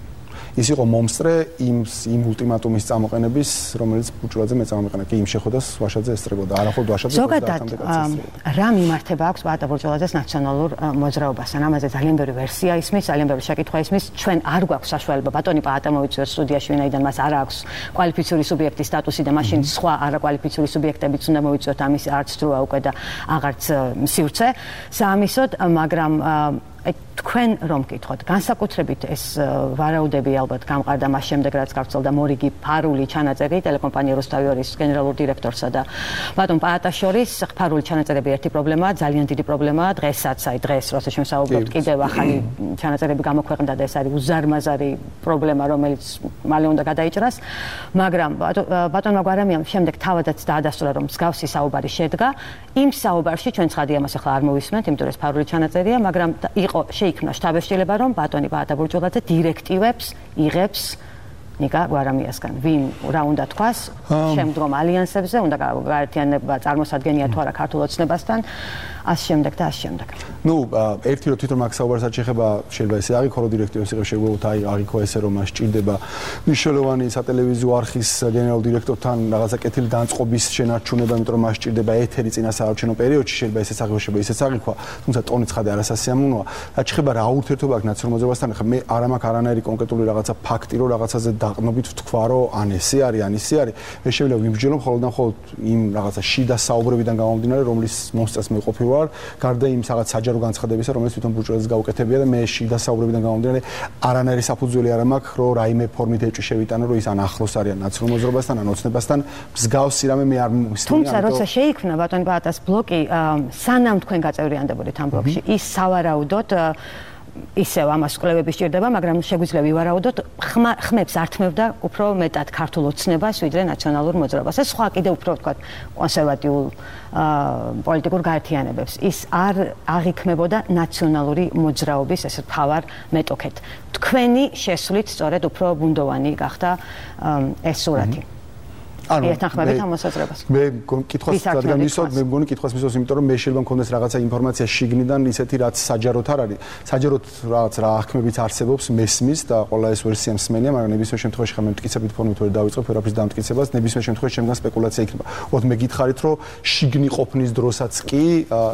ის იყო მომსწრე იმ ულტიმატუმის წამოყენების, რომელიც ბურჯულაძე მე წამოყენა. კი იმ შეხვედრას ვაშაძე ესწრებოდა. არახოდ ვაშაძე ზოგადად რა მიმართება აქვს პაატა ბურჯულაძეს ნაციონალურ მოძრაობასთან. ამაზე ძალიან ბევრი ვერსია ისმის, ძალიან ბევრი შეკითხვა ისმის. ჩვენ არ გვაქვს საშუალება ბატონი პაატა მოვიწვიოს სტუდიაში, ვინაიდან მას არ აქვს კვალიფიციური სუბიექტის სტატუსი და მაშინ სხვა არაკვალიფიციური სუბიექტებიც უნდა მოვიწვიოთ ამის არც დროა უკვე და აღარც სივრცე. საამისოდ, მაგრამ თქვენ რომ გითხოთ, განსაკუთრებით ეს ვარაუდები ალბათ გამყარდა მას შემდეგ, რაც გავრცელდა მორიგი ფარული ჩანაწერი ტელეკომპანია რუსთავიორის გენერალურ დირექტორსა და ბატონ პაატას შორის. ფარული ჩანაწერები ერთი პრობლემაა, ძალიან დიდი პრობლემაა. დღესაც, დღეს, როცა ჩვენ საუბრობთ, კიდევ ახალი ჩანაწერები გამოქვეყნდა და ეს არის უზარმაზარი პრობლემა, რომელიც მალე უნდა გადაიჭრას. მაგრამ ბატონმა გვარამიამ შემდეგ თავადაც დაადასტურა, რომ მსგავსი საუბარი შედგა. იმ საუბარში ჩვენ ცხადია მას ახლა არ მოვისმენთ, იმიტომ რომ ეს ფარული ჩანაწერია, მაგრამ შეიქმნა შტაბ-ეშტილება, რომ ბატონი პაატა ბურჯულაძე დირექტივებს იღებს ნიკა გვარამიასგან. ვინ რა უნდა თქვას შემდგომ ალიანსებზე, უნდა გაერთიანება წარმოსადგენია თუ არა ქართულ ოცნებასთან, ასე შემდეგ და ასე შემდეგ. ნუ ერთი რომ თვითონ მაგ საუბარსაც შეხება, შეიძლება ესე აღიქო რომ დირექტივებს იღებს, შეგვიძლია აღიქო ესე რომ მას ჭირდება მნიშვნელოვანი სატელევიზიო არხის გენერალურ დირექტორთან რაღაცა კეთილი განწყობის შენარჩუნება, იმიტომ რომ მას ჭირდება ეთერი წინასაარჩევნო პერიოდში, შეიძლება ესეც აღიქო, შეიძლება ისეც აღიქვა, თუმცა ტონი ცხადე არასასიამოვნოა. რაც შეხება რა ურთიერთობა აქვს ნაციონალურ მოძრაობასთან, ხა მე არ მაქვს არანაირი კონკრეტული რაღაცა ფაქტი, რომ რაღაცაზე დაყნობით ვთქვა, რომ ან ესე არის, ან ისე არის. მე შეიძლება ვიმსჯელო მხოლოდ და მხოლოდ იმ რაღაცა შიდა საუბრებიდან გამომდინარე, რომლის მომსწრეს მე ყოფილი ვარ, გარდა იმ რაღაც საჯარო განცხადებისა, რომელიც თვითონ ბურჯულაძეს გაუკეთებია და მე შიდა საუბრებიდან გამომდინარე არანაირი საფუძველი არ მაქვს, რომ რაიმე ფორმით ეჭვი შევიტანო, რომ ის ან ახლოს არიან ნაციონალურ მოძრაობასთან, ან ოცნებასთან, მსგავსი რამე მე არ მისმენია. თუმცა როცა შეიქმნა ბატონ პაატას ბლოკი, სანამ თქვენ გაწევრიანდებოდით ამ ბლოკში, ის სავარაუდოდ ისევ ამას კვლევები სჭირდება, მაგრამ შეგვიძლია ვივარაუდოთ, ხმებს ართმევდა უფრო მეტად ქართულ ოცნებას, ვიდრე ნაციონალურ მოძრაობას. ეს სხვა კიდევ უფრო ვთქვათ, კონსერვატიულ პოლიტიკურ გაერთიანებებს. ის არ აღიქმებოდა ნაციონალური მოძრაობის ესეთ მთავარ მეტოქედ. თქვენი შესვლით სწორედ უფრო ბუნდოვანი გახდა ეს სურათი. ეთანხმებით ამ მოსაზრებას. მე კითხვას რადგან მისვათ, მე მგონი კითხვას მისვათ, იმიტომ რომ მე შეიძლება მქონდეს რაღაცა ინფორმაცია შიგნიდან, ისეთი რაც საჯაროდ არ არის. საჯაროდ რაღაც რა აღქმებიც არსებობს, მესმის და ყველა ეს ვერსია მსმენია, მაგრამ ნებისმიერ შემთხვევაში ხა მე მტკიცებით ფორმით ვერ დავიწყებ ვერაფრის დამტკიცებას, ნებისმიერ შემთხვევაში შემდგან სპეკულაცია იქნება. ოღონდ მე გითხარით, რომ შიგნი ყოფნის დროსაც კი,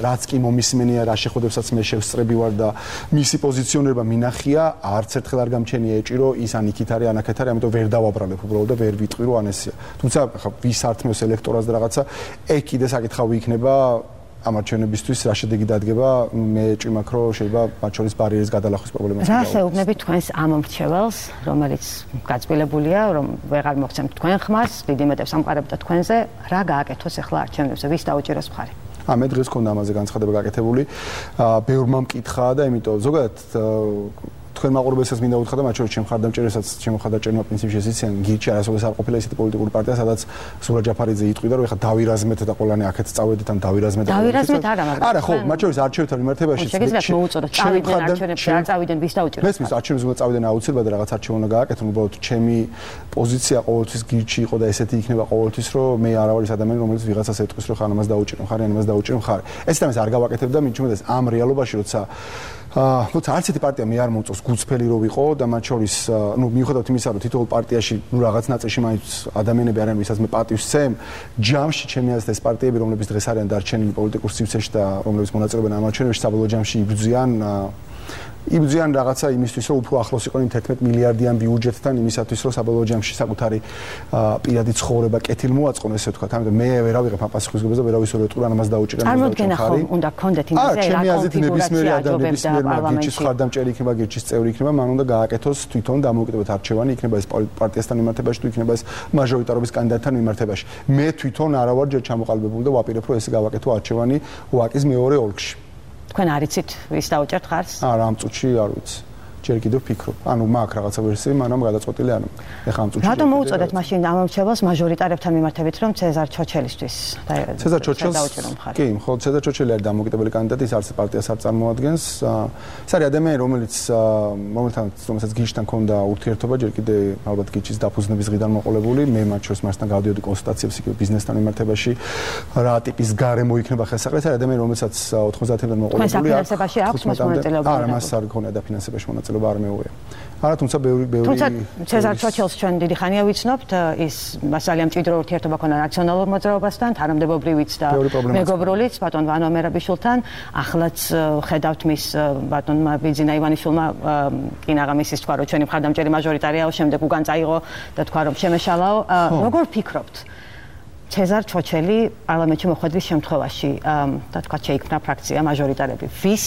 რაც კი მომისმენია, რა შეხვდებსაც მე შევსწრები ვარ და მისი პოზიციონირება მინახია, არც ერთხელ არ გამჩენია ეჭვი, რომ ის ან იქით არის, ან აქეთ არის, ამიტომ ვერ დავაბრალებ უბრალოდ და ვერ ვიტყვი, რომ ან ესეა. თუმცა ხა ვის ართმევს ელექტორატს და რაღაცა ეგ კიდე საკითხავი იქნება ამ არჩევნებისთვის რა შედეგი დადგება მე ეჭვი მაქვს რომ შეიძლება მათ შორის ბარიერის გადალახვის პრობლემას რა შეუგნებით თქვენს ამ მრჩეველს რომელიც გაწყვილებულია რომ ვეღარ მოხსენთ თქვენ ხმას დიდი მეტებს ამყარებდა თქვენზე რა გააკეთოს ახლა არჩევნებზე ვის დაუჭიროს მხარი მე დღეს მქონდა ამაზე განცხადება გაკეთებული ბევრმა მკითხა და იმიტომ ზოგადად თქვენ მაყურებელსაც მინდა უთხრა და მათ შორის ჩემ ხარდამჭერესაც ჩემ ხარდამჭერმა პრინციპში ესეციან გირჩი არასოდეს არ ყოფილა ისეთი პოლიტიკური პარტია სადაც სურა ჯაფარიძე იტყვიდა რომ ეხა დავირაზმეთ და ყველანი აქეთ წავედით ან დავირაზმეთ არა ხო მათ შორის არჩევნებთან მიმართებაში შეგიძლიათ მოუწოდოთ წავიდნენ არჩევნებში არ წავიდნენ ვის დაუჭიროთ მესმის არჩევნებს უნდა წავიდნენ აუცილებლად და რაღაც არჩევნა უნდა გააკეთონ უბრალოდ ჩემი პოზიცია ყოველთვის გირჩი იყო და ესეთი იქნება ყოველთვის რომ მე არ ვარ ის ადამიანი რომელიც ვიღაცას ეტყვის რომ ხან ამას დაუჭირო ხარ ან ამას დაუჭირო ხარ ეს თამას არ გავაკეთებ და მიჩვენებს ამ რეალობაში როცა თუმცა არც ერთი პარტია მე არ მომწონს გულწრფელი რო ვიყო და მათ შორის ნუ მიუხედავად იმისა რომ თითოეულ პარტიაში ნუ რაღაც ნაწილში მაინც ადამიანები არიან ვისაც მე პატივს ვცემ ჯამში ჩემი აზრით ეს პარტიები რომლებიც დღეს არიან დარჩენილი პოლიტიკურ სივრცეში და რომლებიც მონაწილეობენ ამ არჩევნებში საბოლოო ჯამში იბრძვიან რაღაცა იმისთვის რომ უფრო ახლოს იყვნენ 11 მილიარდიან ბიუჯეტთან იმისათვის რომ საბოლოო ჯამში საკუთარი პირადი ცხოვრება კეთილ მოაწყონ ესე ვთქვათ ამიტომ მე ვერ ავიღებ ამ პასუხისმგებლობას და ვერ ავისურვებ ეტყურა ამას დაუჭირენ წარმოუდგენა ხომ უნდა გქონდეთ იმაზე რა კონფიგურაცია ნებისმიერმა გირჩის ხარდამჭერი იქნება გირჩის წევრი იქნება მან უნდა გააკეთოს თვითონ დამოუკიდებლად არჩევანი იქნება ეს პარტიასთან მიმართებაში თუ იქნება ეს მაჟორიტარობის კანდიდატთან მიმართებაში მე თვითონ არა ვარ ჯერ ჩამოყალიბებული და ვაპირებ რომ ესე გავაკეთო არჩევანი ვაკის მეორე ოლქში თქვენ არიცით ვის დაუჭერთ ხარს? არა, ამ წუთში არ ვიცი. ჯერ კიდევ ვფიქრობ. ანუ მაქვს რაღაცა ვერსია, მაგრამ გადაწყვეტილი არ მაქვს. ეხლა ამ წუთში. რატომ მოუწოდეთ მაშინ ამ მრჩეველს მაჟორიტარებთან მიმართებით, რომ ცეზარ ჩოჩელისთვის ცეზარ ჩოჩელს კი, მხოლოდ ცეზარ ჩოჩელი არის დამოუკიდებელი კანდიდატი, ის არც პარტიას არ წარმოადგენს. ეს არის ადამიანი, რომელსაც გიჩთან ქონდა ურთიერთობა, ჯერ კიდევ ალბათ გიჩის დაფუძნების დღიდან მოყოლებული. მე მათ შორის მასთან გავდიოდი კონსულტაციებს იქ ბიზნესთან მიმართებაში. რა ტიპის გარემო იქნება ხელსაყრელი, ეს არის ადამიანი, რომელსაც 90-დან მოყოლებული აქვს. ფინანსებაში აქვს მონაწილეობა? არა, მას არ ქონია და ფინანსებაში მონაწილეობა არ მეუღია. არა, თუმცა ბევრი თუმცა ცეზარ ჩოჩელს ჩვენ დიდი ხანია ვიცნობთ, ის მასალია მჭიდრო ურთიერთობა ქონდა ნაციონალურ მოძრაობასთან, თანამდებობრივიც და მეგობრულიც ბატონ ვანო ამერაბიშვილთან. ახლაც ხედავთ მის ბატონმა ბიძინა ივანიშვილმა კინაღამისის თქვა, რომ ჩვენი მხარდამჭერი მაჟორიტარიაო, შემდეგ უგან წაიღო და თქვა, რომ შემეშალაო. როგორ ფიქრობთ? ცეზარ ჩოჩელი პარლამენტში მოხვედრის შემთხვევაში და თქვა შეიქმნა ფრაქცია მაჟორიტარები. ვის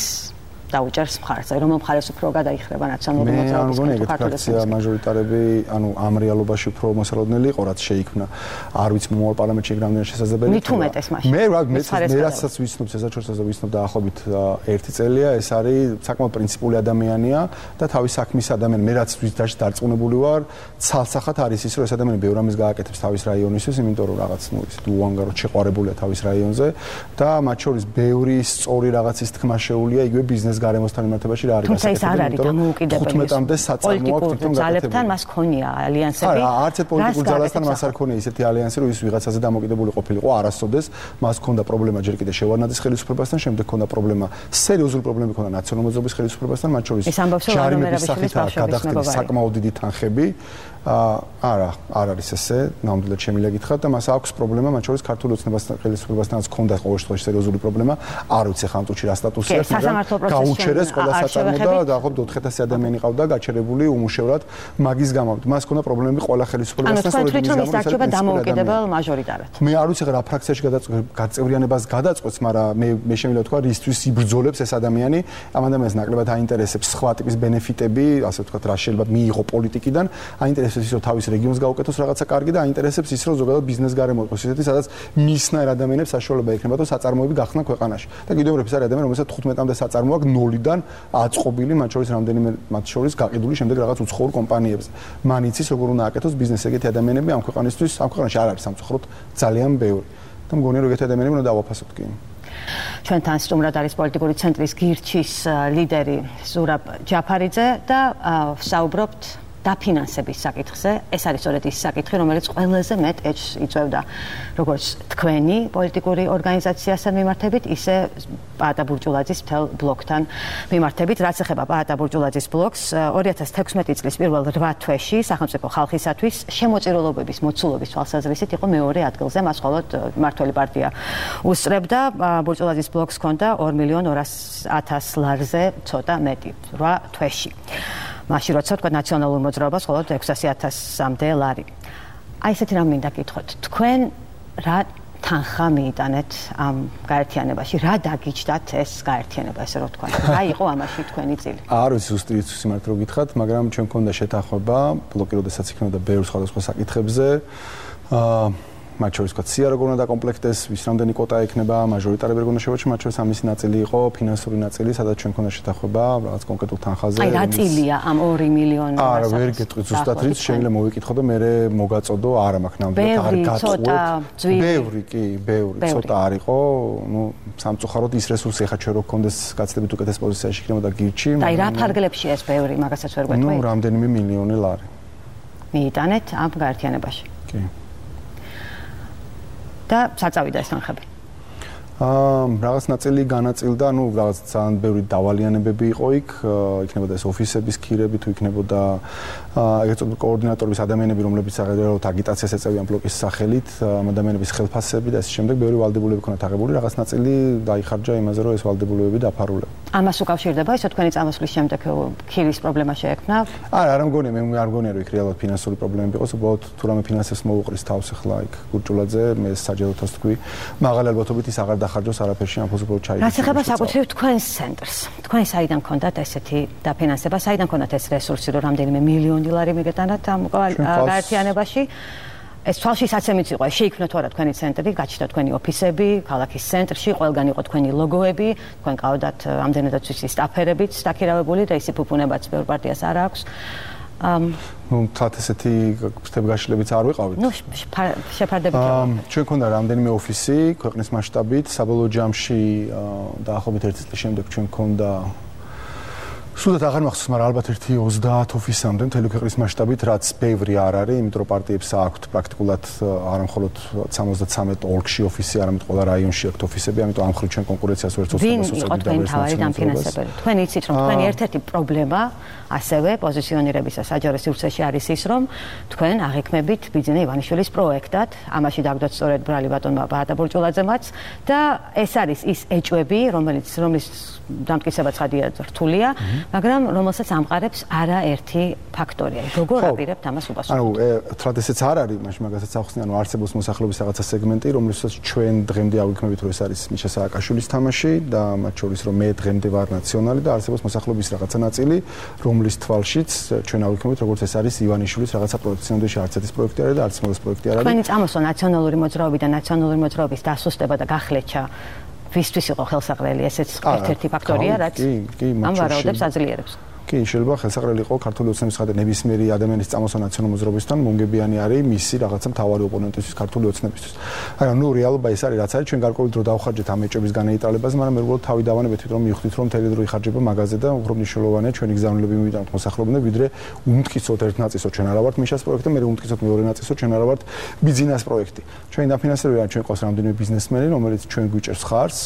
დაუჭერს მხარს. რომ მხარეს უფრო გადაიხრება ნაციონალური მოძრაობის ფრაქცია მაჟორიტარები, ანუ ამ რეალობაში უფრო მოსალოდნელი იყო, რაც შეიქმნა. არ ვიცი მომავალ პარლამენტში რამდენად შესაძლებელი. მით უმეტეს მაშინ. მე რასაც ვიცნობ, შესაძლოა ვიცნობ დაახლოებით 1 წელია, ეს არის საკმაოდ პრინციპული ადამიანია და თავის საქმის ადამიანი. მე რაც დარწმუნებული ვარ, ცალსახად არის ის, რომ ეს ადამიანი ბევრ ამის გააკეთებს თავის რაიონისთვის, იმიტომ რომ რაღაც უანგაროდ შეყვარებულია თავის რაიონზე და მათ შორის ბევრი სწორი რაღაცის თქმა შეუულია იგივე ბიზნეს გარემოსთან მიმართებაში რა არის გასაკეთებელი. თუმცა ის არ არის დამოუკიდებელი. 15-მდე საწარმო აქვს თვითონ გაკეთებული. ძალებთან მას ქონია ალიანსები. არა, არც ერთ პოლიტიკურ ძალასთან მას არ ქონია ისეთი ალიანსი, რომ ის ვიღაცაზე დამოუკიდებელი ყოფილიყო არასოდეს. მას ქონდა პრობლემა ჯერ კიდევ შევარნაძის ხელისუფლებასთან, შემდეგ ქონდა პრობლემა, სერიოზული პრობლემები ქონდა ნაციონალურ მოძრაობის ხელისუფლებასთან, მათ შორის ჯარიმების სახით გადახდილი საკმაოდ დიდი თანხები. არა, არ არის ესე, ნამდვილად შემიძლია გითხრათ და მას აქვს პრობლემა, მათ შორის ქართული ოცნებასთან ხელისუფლებასთანაც ქონდა ყოველ შემთხვევაში სერიოზული პრობლემა. არ ვიცი ხან წუთში რა სტატუსი აქვს, მაგრამ გაუჩერეს ყველა საწარმო და დაახლოებით 4,000 ადამიანი ყავდა გაჩერებული უმუშევრად მაგის გამო. მას ქონდა პრობლემები ყველა ხელისუფლებასთან, სწორედ ის გამო. ანუ თქვენ თვითონ დამოუკიდებელ მაჟორიტარად. მე არ ვიცი რა ფრაქციაში გაწევრიანებას გადაწყვეტს, მაგრამ მე შემიძლია ვთქვა, რისთვის იბრძოლებს ეს ადამიანი. ამ ადამიანს ნაკლებად აინტერესებს სხვა ტიპის ბენეფიტები, ასე ვთქვათ, რა შეიძლება მიიღო პოლიტიკიდან. აინტერესებს ის, რომ თავის რეგიონს გაუკეთოს რაღაცა კარგი და აინტერესებს ის, რომ ზოგადად ბიზნეს გარემო იყოს ისეთი, სადაც მისნაირ ადამიანებს საშუალება ექნება, რომ საწარმოები გახსნა ქვეყანაში. და კიდევ ერთ ეს არის ადამიანი, რომელსაც 15-მდე საწარმო აქვს 0-დან აწყობილი, მათ შორის რამდენიმე მათ შორის გაყიდული შემდეგ რაღაც უცხოურ კომპანიებზე. მან იცის, როგორ უნდა აკეთოს ბიზნესი ეგეთი ადამიანები ამ ქვეყანისთვის, ამ ქვეყანაში არ არის სამწუხაროდ ძალიან ბევრი. და მგონია, რომ ეგეთი ადამიანები უნდა დავაფასოთ კი. ჩვენთან სტუმრად არის პოლიტიკური ცენტრის გირჩის ლიდერი ზურაბ ჯაფარიძე და ვსაუბრობთ დაფინანსების საკითხზე. ეს არის სწორედ ის საკითხი, რომელიც ყველაზე მეტ ეჭვს იწვევდა როგორც თქვენი პოლიტიკური ორგანიზაციასთან მიმართებით, ისე პაატა ბურჯულაძის მთელ ბლოკთან მიმართებით. რაც ეხება პაატა ბურჯულაძის ბლოკს, 2016 წლის პირველ 8 თვეში სახელმწიფო ხალხისათვის შემოწირულობების მოცულობის თვალსაზრისით იყო მეორე ადგილზე, მას მხოლოდ მმართველი პარტია უსწრებდა. ბურჯულაძის ბლოკს ჰქონდა 2,200,000 ლარზე ცოტა მეტი 8 თვეში. მაშინ როცა თქვა ნაციონალურ მოძრაობას მხოლოდ 600,000-მდე ლარი. აი ესეთი რამ მინდა გითხოთ. თქვენ რა თანხა მიიტანეთ ამ გაერთიანებაში? რა დაგიჯდათ ეს გაერთიანება, ესე რომ თქვა? რა იყო ამაში თქვენი წილი? არ ვიცი ზუსტი სიმართლე რო გითხრათ, მაგრამ ჩვენ მქონდა შეთანხმება, ბლოკი როდესაც იქნებოდა ბევრ სხვადასხვა საკითხებზე. მათ შორის თქვა სია როგორ უნდა დაკომპლექტდეს, ვის რამდენი კვოტა ექნება, მაჟორიტარები როგორ უნდა შევაჩეროთ, მათ შორის ამისი ნაწილი იყო ფინანსური ნაწილი, სადაც ჩვენ მქონდა შეთანხმება რაღაც კონკრეტულ თანხაზე. აი რა წილია ამ 2 მილიონი? არა, ვერ გეტყვით ზუსტად რით, შეიძლება მოვიკითხო და მე მოგაწოდო, არა მაქვს ნამდვილად არ გაწყვეტ. ბევრი კი, ბევრი, ცოტა არ იყო, ნუ სამწუხაროდ ის რესურსი ხა ჩვენ რო გქონდეს გაცდებით უკეთეს პოზიციაში იქნებოდა გირჩი. აი რა ფარგლებში ეს ბევრი, მაგასაც ვერ გვეტყვი. ნუ რამდენიმე მილიონი ლარი. მიიტანეთ ამ გაერთიანებაში. კი. და საწავიდა ეს თანხები. რაღაც ნაწილი განაწილდა, ნუ რაღაც ძალიან ბევრი დავალიანებები იყო იქ, იქნებოდა ეს ოფისების ქირები, თუ იქნებოდა ეგრეთ წოდებული კოორდინატორების ადამიანები, რომლებიც აღებდნენ აგიტაციას ეწევიან ბლოკის სახელით, ადამიანების ხელფასები და ეს შემდეგ ბევრი ვალდებულები ქონათ აღებული, რაღაც ნაწილი დაიხარჯა იმაზე, რომ ეს ვალდებულებები დაფარულა. ამას უკავშირდება ისო თქვენი წამოსვლის შემდეგ ქირის პრობლემა შეექმნა? არა, არ მგონია, მე არ მგონია, რომ იქ რეალურად ფინანსური პრობლემები იყოს, უბრალოდ თუ რამე ფინანსებს მოუყრის თავს ახლა იქ გურჯულაძე, მე საჯაროთას თქვი, მაღალი ალბათობით ის აღარ დახარჯოს არაფერში, ამ ფუძბოლ ჩაიგდეს. რაც ეხება საკუთრივ თქვენს ცენტრს. თქვენ საიდან გქონდათ ესეთი დაფინანსება, საიდან გქონდათ ეს რესურსი, რომ რამდენიმე მილიონი ლარი მიგეტანათ ამ გაერთიანებაში? ეს თვალში საცემიც იყო, შეიქმნა თუ არა თქვენი ცენტრი, გაჩნდა თქვენი ოფისები, ქალაქის ცენტრში, ყველგან იყო თქვენი ლოგოები, თქვენ ყავდათ ამდენადაც ვიცი სტაფერებიც დაქირავებული და ისი ფუფუნებაც ბევრ პარტიას არ აქვს. ნუ თათ ესეთი ფრთებგაშლებიც არ ვიყავით. ნუ შეფარდებით იყო. ჩვენ ქონდა რამდენიმე ოფისი ქვეყნის მასშტაბით, საბოლოო ჯამში დაახლოებით 1 წლის შემდეგ ჩვენ ქონდა სულად აღარ მახსოვს, მაგრამ ალბათ 30 ოფისამდე მთელი ქვეყნის მასშტაბით, რაც ბევრი არ არის, იმიტომ რომ პარტიებს აქვთ პრაქტიკულად არა მხოლოდ 73 ოლქში ოფისი, არამედ ყველა რაიონში აქვთ ოფისები, ამიტომ ამ ხრივ ჩვენ კონკურენციას ვერ წოხდებით. ვინ იყო თქვენი თავარი დამფინანსებელი? თქვენ იცით, რომ თქვენი ერთ-ერთი პრობლემა ასევე პოზიციონირებისა საჯარო სივრცეში არის ის, რომ თქვენ აღიქმებით ბიძინა ივანიშვილის პროექტად, ამაში დაგდოთ სწორედ ბრალი ბატონმა პაატა ბურჯულაძემაც და ეს არის ის ეჭვები, რომლის დამტკიცება ცხადია რთულია, მაგრამ რომელსაც ამყარებს არაერთი ფაქტორია. როგორ აპირებთ ამას უპასუხოთ? ანუ თრად ესეც არ არის, მაშინ მაგასაც ახსნიან, რომ არსებობს მოსახლეობის რაღაცა სეგმენტი, რომლითაც ჩვენ დღემდე ავიქნებით, რომ ეს არის მიშა სააკაშვილის თამაში და მათ შორის რომ მე დღემდე ვარ ნაციონალი და არსებობს მოსახლეობის რაღაცა ნაწილი, რომლის თვალშიც ჩვენ ავიქნებით, როგორც ეს არის ივანიშვილის რაღაცა პროექტი. სინამდვილეში არც ერთის პროექტი არის და არც მოდელს პროექტი არ არის. თქვენი წამოსვლა ნაციონალური მოძრაობიდან ნაციონალური მოძრაობის დასუსტება და გახლეჩა ვისთვის იყო ხელსაყრელი, ესეც ერთ-ერთი ფაქტორია, რაც ამ ვარაუდებს აძლიერებს. კი, შეიძლება ხელსაყრელი იყო ქართული ოცნების ხადა ნებისმიერი ადამიანის წამოსვლა ნაციონალურ მოძრაობისთან, მომგებიანი არის მისი რაღაცა მთავარი ოპონენტისთვის ქართული ოცნებისთვის. მაგრამ ნუ რეალობა ეს არის, რაც არის, ჩვენ გარკვეული დრო დავხარჯეთ ამ ეჭვების განეიტალებაზე, მაგრამ მე უბრალოდ თავი დავანებეთ, რომ მივხვდით, რომ მთელი დრო იხარჯება მაგაზე და უფრო მნიშვნელოვანია ჩვენი გზავნილები მივიდანთ მოსახლეობამდე, ვიდრე უმტკიცოდ ერთ ნაწილსო ჩვენ არა ვართ მიშას პროექტი, მე უმტკიცოდ მეორე ნაწილსო ჩვენ არა ვართ ბიზნეს პროექტი. ჩვენი დაფინანსებაა, ჩვენ ყავს რამდენიმე ბიზნესმენი, რომელიც ჩვენ გვიჭერს ხარს,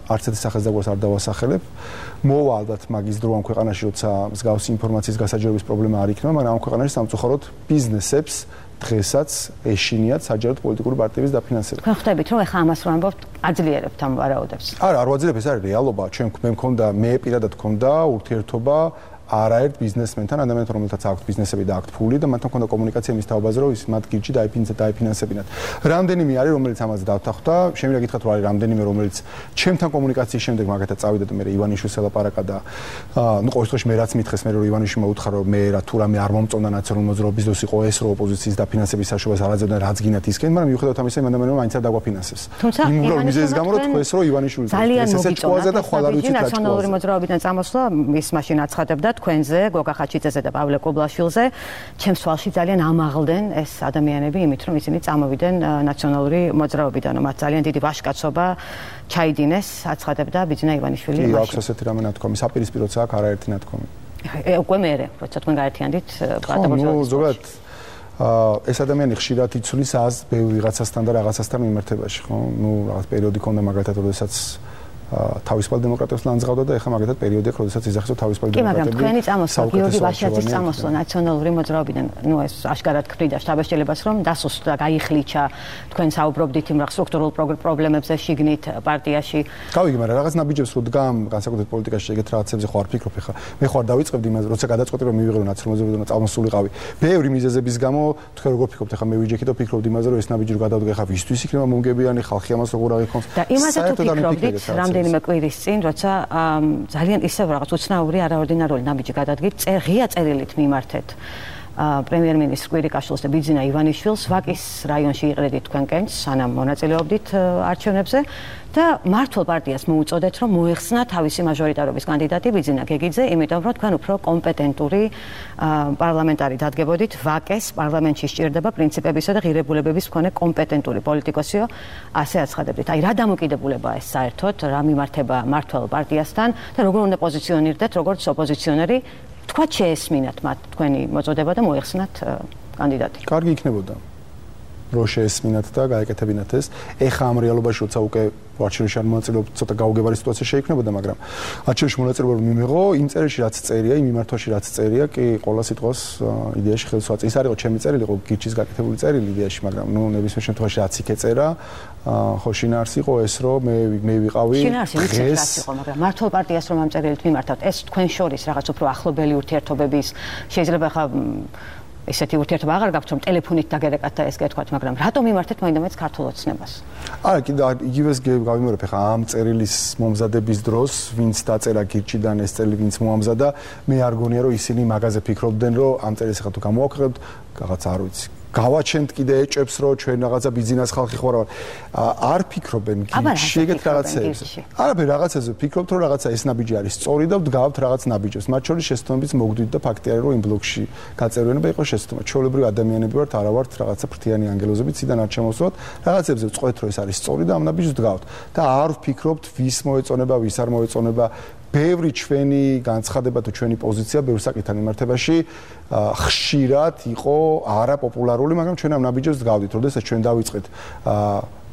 არც ერთი სახელმწიფოს არ დავასახელებ. მოვა ალბათ მაგის დრო ამ ქვეყანაში, როცა მსგავსი ინფორმაციის გასაჯერების პრობლემა არ იქნება, მაგრამ ამ ქვეყანაში სამწუხაროდ ბიზნესებს დღესაც ეშინიათ საჯაროდ პოლიტიკური პარტიების დაფინანსება. თქვენ ხვდებით, რომ ეხლა ამას რომ ამბობთ, აძლიერებთ ამ ვარაუდებს? არა, არ ვაძლიერებ, ეს არის რეალობა. მე პირადად მქონდა ურთიერთობა არაერთ ბიზნესმენთან, ადამიანთან, რომელთაც აქვს ბიზნესები და აქვს ფული და მათთან მქონდა კომუნიკაცია მის თაობაზე, რომ ის მათ გირჩი დაიფინანსებინათ. რამდენიმე არის, რომელიც ამაზე დავთანხმდა, შემიძლია გითხრათ, რომ არის რამდენიმე, რომელიც ჩემთან კომუნიკაციის შემდეგ მაგათაც წავიდა და მე ივანიშვილს ელაპარაკა და ნუ ყოველ შემთხვევაში მე რაც მითხეს, მე რომ ივანიშვილმა უთხრა, რომ მე რა თუ რამე არ მომწონდა ნაციონალური მოძრაობის დროს იყო ეს, რომ ოპოზიციის დაფინანსების საშუალებას არ აძლევდნენ, რაც გინათ ისკენ, მაგრამ მიუხედავად ამისა, მან ადამიანმა მაინც არ დაგვაფინანსებს. იმ მიზეზის გამო რომ თქვენს რომ ივანიშვილის ესეც ყვაზე და ხვალ არ ვიცით რა ნაციონალური მოძრაობიდან წამოსვლა ის მაშინ აცხადებდა თქვენზე, გოგა ხაჩიძეზე და პავლე კობლაშვილზე, ჩემს თვალში ძალიან ამაღლდნენ ეს ადამიანები იმით, რომ ისინი წამოვიდნენ ნაციონალური მოძრაობიდან, რომ მათ ძალიან დიდი ვაჟკაცობა ჩაიდინეს, აცხადებდა ბიძინა ივანიშვილი. კი, აქვს ასეთი რამე ნათქვამი, საპირისპიროც აქვს არაერთი ნათქვამი. უკვე მერე, როცა თქვენ გაერთიანდით პარტიულ ზოგადად ეს ადამიანი ხშირად იცვლის აზრს ბევრ ვიღაცასთან და რაღაცასთან მიმართებაში, ხო? ნუ რაღაც პერიოდი ქონდა მაგალითად, როდესაც თავისუფალ დემოკრატებს ლანძღავდა და ეხლა მაგათაც პერიოდია, როდესაც იძახის თავისუფალ დემოკრატები. კი, მაგრამ თქვენი წამოსვლა, გიორგი ვაშიაძის წამოსვლა ნაციონალური მოძრაობიდან, ნუ ეს აშკარად ქმნიდა შთაბეჭდილებას, რომ დასუსტდა, გაიხლიჩა, თქვენ საუბრობდით იმ სტრუქტურულ პრობლემებზე შიგნით პარტიაში. გავიგე, მაგრამ რაღაც ნაბიჯებს რო დგამ, განსაკუთრებით პოლიტიკაში ეგეთ რაღაცებზე ხო არ ფიქრობ ეხლა. მე ხო არ დავიწყებდი იმას, როცა გადაწყვეტი რომ მივიღებო ნაციონალურ მოძრაობიდან წამოსულიყავი. ბევრი მიზეზების გამო, თქვენ როგორ ფიქრობთ ეხლა მე ვიჯექი და ფიქრობდი იმაზე, რომ ეს ნაბიჯი რო გადავდგე ეხლა ვისთვის იქნება მომგებიანი, ხალხი ამას როგორ აღიქონს. და იმაზე თუ ფიქრობდით, რამდენიმე კვირის წინ, როცა ძალიან ისევ რაღაც უცნაური არაორდინარული ნაბიჯი გადადგით, ღია წერილით მიმართეთ პრემიერ-მინისტრ კვირიკაშვილს და ბიძინა ივანიშვილს ვაკის რაიონში იყრედით თქვენ კენჭს, სანამ მონაწილეობდით არჩევნებზე და მართლ პარტიას მოუწოდეთ, რომ მოეხსნა თავისი მაჟორიტარობის კანდიდატი ბიძინა გეგიძე, იმიტომ რომ თქვენ უფრო კომპეტენტური პარლამენტარი დადგებოდით, ვაკეს პარლამენტში სჭირდება პრინციპებისა და ღირებულებების მქონე კომპეტენტური პოლიტიკოსიო, ასე აცხადებდით. აი რა დამოკიდებულებაა ეს საერთოდ, რა მიმართება მართლ პარტიასთან და როგორ უნდა პოზიციონირდეთ, როგორც ოპოზიციონერი, თქვათ შეესმინათ მათ თქვენი მოწოდება და მოეხსნათ კანდიდატი. კარგი იქნებოდა. რო შეესმინათ და გაეკეთებინათ ეს. ეხა ამ რეალობაში როცა უკვე არჩევნებში არ მონაწილეობთ, ცოტა გაუგებარი სიტუაცია შეიქმნებოდა, მაგრამ არჩევნებში მონაწილეობა რომ მიმიღო, იმ წერილში რაც წერია, იმ მიმართვაში რაც წერია, კი ყველა სიტყვას იდეაში ხელს ვაწერ. ის არ იყო ჩემი წერილი, იყო გირჩის გაკეთებული წერილი იდეაში, მაგრამ ნუ ნებისმიერ შემთხვევაში რაც იქ ეწერა, ხო შინაარსი იყო ეს, რომ მე ვიყავი შინაარსი ვიცით რაც იყო, მაგრამ მართლ პარტიას რომ ამ წერილით მიმართავთ, ეს თქვენ შორის რაღაც უფრო ახლობელი ურთიერთობების შეიძლება ხა ესეთი ურთიერთობა აღარ გაქვთ, რომ ტელეფონით დაგერეკათ და ეს გეთქვათ, მაგრამ რატომ მიმართეთ მაინდამაინც ქართულ ოცნებას? არა, კიდე იგივეს გავიმეორებ, ხა ამ წერილის მომზადების დროს, ვინც დაწერა გირჩიდან ეს წერილი, ვინც მოამზადა, მე არ გონია, რომ ისინი მაგაზე ფიქრობდნენ, რომ ამ წერილს ხა თუ გამოვაქვეყნებთ, რაღაც არ ვიცი. გავაჩენთ კიდე ეჭებს, რომ ჩვენ რაღაცა ბიზნეს ხალხი ხوار არ ფიქრობენ გირჩი ეგეთ რაღაცებზე. არაფერ რაღაცაზე ფიქრობთ, რომ რაღაცა ეს ნაბიჯი არის სწორი და ვდგავთ რაღაც ნაბიჯებს. მათ შორის შეცდომებიც მოგდით და ფაქტია, რომ იმ ბლოკში გაწერვენება იყო შეცდომა. ჩვეულებრივი ადამიანები ვართ, არა ვართ რაღაცა ფრთიანი ანგელოზები, ციდან არ ჩამოსვლათ. რაღაცებზე ვწყვეთ, რომ ეს არის სწორი და ამ ნაბიჯს ვდგავთ. და არ ვფიქრობთ, ვის მოეწონება, ვის არ მოეწონება. ბევრი ჩვენი განცხადება თუ ჩვენი პოზიცია ბევრ საკითხთან მიმართებაში ხშირად იყო არაპოპულარული, მაგრამ ჩვენ ამ ნაბიჯებს ვდგავდით. როდესაც ჩვენ დავიწყეთ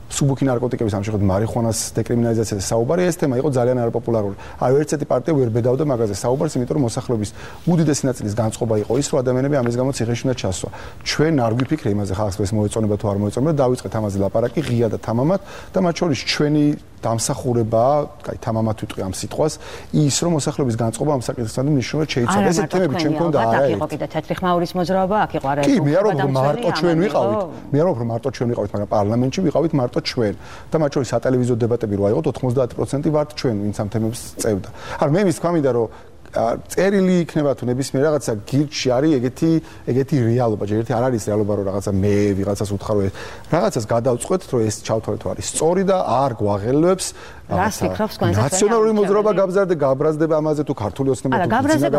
სუბუქი ნარკოტიკების ამშეხად მარიხუანას დეკრიმინალიზაციაზე საუბარი, ეს თემა იყო ძალიან არაპოპულარული. აი ერთ-ერთი პარტია ვერ ბედავდა მაგაზე საუბარს, იმიტომ რომ მოსახლეობის უდიდესი ნაწილის განწყობა იყო ის, რომ ადამიანები ამის გამო ციხეში უნდა ჩასვა. ჩვენ არ გვიფიქრე იმაზე ხალხს ეს მოეწონება თუ არ მოეწონება, დავიწყეთ ამაზე ლაპარაკი ღია და თამამად და მათ შორის ჩვენი დამსახურებაა, კაი, თამამად ვიტყვი ამ სიტყვას, ის რომ მოსახლეობის განწყობა ამ საკითხთან მნიშვნელოვნად შეიცვალა. ესეთი თემები ჩვენ მქონდა არა. იყო კიდე თეთრი ხმაურის მოძრაობა, აქ იყო არა. კი, მე არ ვამბობ რომ მარტო ჩვენ ვიყავით. მე არ ვამბობ რომ მარტო ჩვენ ვიყავით, მაგრამ პარლამენტში ვიყავით მარტო ჩვენ. და მათ შორის სატელევიზიო დებატები რო აიღოთ 90% ვართ ჩვენ, ვინც ამ თემებს წევდა. არა, მე მის თქვა მინდა რომ წერილი იქნება თუ ნებისმიერ რაღაცა გირჩი არის ეგეთი რეალობა, ჯერ არ არის რეალობა რომ რაღაცა მე ვიღაცას უთხარ რომ რაღაცას გადავწყვეტ რომ ეს ჩავთვალეთ თუ არის სწორი და არ გვაღელვებს რას ფიქრობს თქვენზე ნაციონალური მოძრაობა გაბრაზდება ამაზე თუ ქართული ოცნება თუ გაბრაზდება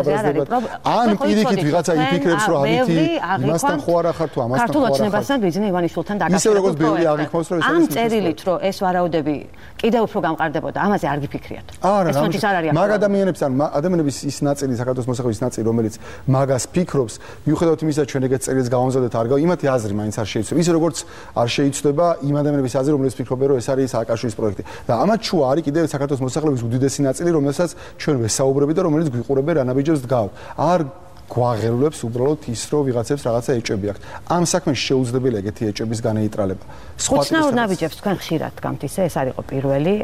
ან პირიქით ვიღაცა იფიქრებს რომ ამითი იმასთან ხო არა ხარ თუ ამასთან ხო არა ქართულ ოცნებასთან ბიზნე ივანიშვილთან დაკავშირებით ისე როგორც ბევრი აღიქვამს რომ ეს ამ წერილით რომ ეს ვარაუდები კიდევ უფრო გამყარდებოდა ამაზე არ გიფიქრიათ ეს არ არის მაგ ადამიანებს ან ადამიანების ის ნაწილი საქართველოს მოსახლეობის ნაწილი რომელიც მაგას ფიქრობს მიუხედავად იმისა ჩვენ ეგეთ წერილს გავამზადეთ არ გავა იმათი აზრი მაინც არ შეიცვლება ისე როგორც არ შეიცვლება იმ ადამიანების აზრი რომლებიც ფიქრობენ რომ ეს არის სააკაშვილის პროექტი და ამათ არის კიდევ საქართველოს მოსახლეობის უდიდესი ნაწილი, რომელსაც ჩვენ ვესაუბრები და რომელიც გვიყურებენ რანაბიჯებს დგავთ. არ გვაღელვებს უბრალოდ ის, რომ ვიღაცებს რაღაცა ეჭვები აქვს. ამ საქმეში შეუძლებელია ეგეთი ეჭვების განეიტრალება. ხუთნაურ ნაბიჯებს თქვენ ხშირად დგამთ ისე, ეს არის პირველი.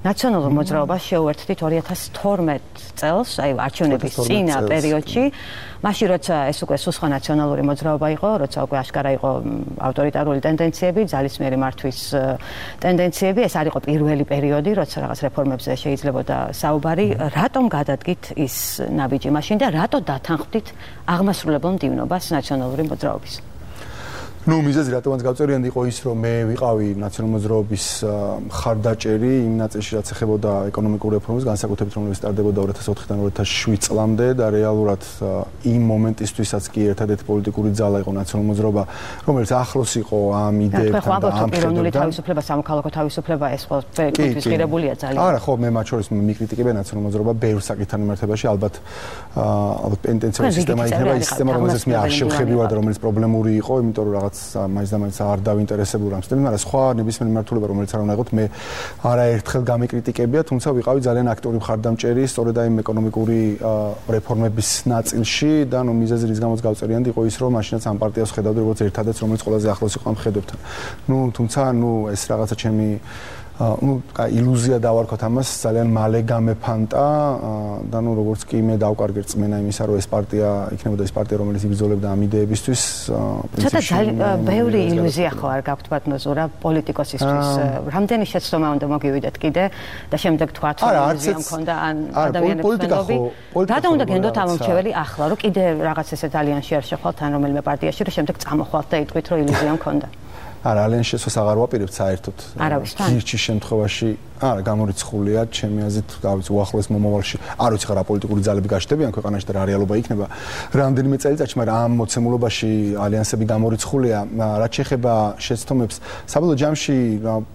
ნაციონალურ მოძრაობას შეუერთდით 2012 წელს, აი არჩევნების წინა პერიოდში. მაშინ როცა ეს უკვე სხვა ნაციონალური მოძრაობა იყო, როცა უკვე აშკარა იყო ავტორიტარული ტენდენციები, ძალისმიერი მართვის ტენდენციები, ეს არ იყო პირველი პერიოდი, როცა რაღაც რეფორმებზე შეიძლებოდა საუბარი, რატომ გადადგით ის ნაბიჯი მაშინ და რატო დათანხმდით აღმასრულებელ მდივნობას ნაციონალური მოძრაობის? ნუ მიზეზი რატომაც გავწერიანდი იყო ის რომ მე ვიყავი ნაციონალური მოძრაობის მხარდაჭერი იმ ნაწილში რაც ეხებოდა ეკონომიკურ რეფორმებს განსაკუთრებით რომელიც სტარდებოდა 2004-დან 2007 წლამდე და რეალურად იმ მომენტისთვისაც კი ერთადერთი პოლიტიკური ძალა იყო ნაციონალური მოძრაობა რომელიც ახლოს იყო ამ იდეებთან და ამ პიროვნული თავისუფლება სამოქალაქო თავისუფლება ეს ყოველთვის ღირებულია ძალიან არა ხო მე მათ შორის მიკრიტიკებია ნაციონალური მოძრაობა ბევრ საკითხთან მიმართებაში ალბათ პენტენციური სისტემა იქნება ის სისტემა რომელზეც მე არ შევხებივარ და რომელიც პრობლემური იყო იმიტომ რომ მაინც და მაინც არ დავინტერესებული ამ სისტემით, მაგრამ სხვა ნებისმიერი მიმართულება, რომელიც არ უნდა იყოს, მე არაერთხელ გამიკრიტიკებია, თუმცა ვიყავი ძალიან აქტიური მხარდამჭერი სწორედ აი ეკონომიკური რეფორმების ნაწილში და ნუ მიზეზი რის გამოც გავწერიანდი იყო ის, რომ მაშინაც ამ პარტიას ხედავდი როგორც ერთადერთს, რომელიც ყველაზე ახლოს იყო ამ ხედვებთან. ნუ თუმცა ნუ ეს რაღაცა ჩემი ну, иллюзия დავარქოთ ამას ძალიან მალე გამეფანტა და ну როგორც კი მე დავკარგე რწმენა იმისა რომ ეს პარტია იქნებოდა ეს პარტია რომელიც იბრძოლებდა ამ იდეებისთვის პრინციპში ბევრი ილუზია ხო არ გაქვთ ბატონო ზურა პოლიტიკოსისთვის რამდენი შეცდომა უნდა მოგივიდეთ კიდე და შემდეგ თქვათ რომ ილუზია მქონდა ან ადამიანებს მენდობი რატომ უნდა გენდოთ ამ მომრჩეველი ახლა რომ კიდე რაღაც ესე ძალიან შეარ შეხვალთ ან რომელიმე პარტიაში რომ შემდეგ წამოხვალთ და იტყვით რომ ილუზია მქონდა არა, ალენ შესოს აღარ ვაპირებთ საერთოდ. გირჩის შემთხვევაში არა, გამორიცხულია ჩემი აზრით, გავიც უახლოეს მომავალში. არ ვიცი რა პოლიტიკური ძალები გაჩნდებიან ქვეყანაში და რა რეალობა იქნება. რამდენიმე წელიწადში, მაგრამ ამ მოცემულობაში ალიანსები გამორიცხულია. რაც შეეხება შეცდომებს, საბოლოო ჯამში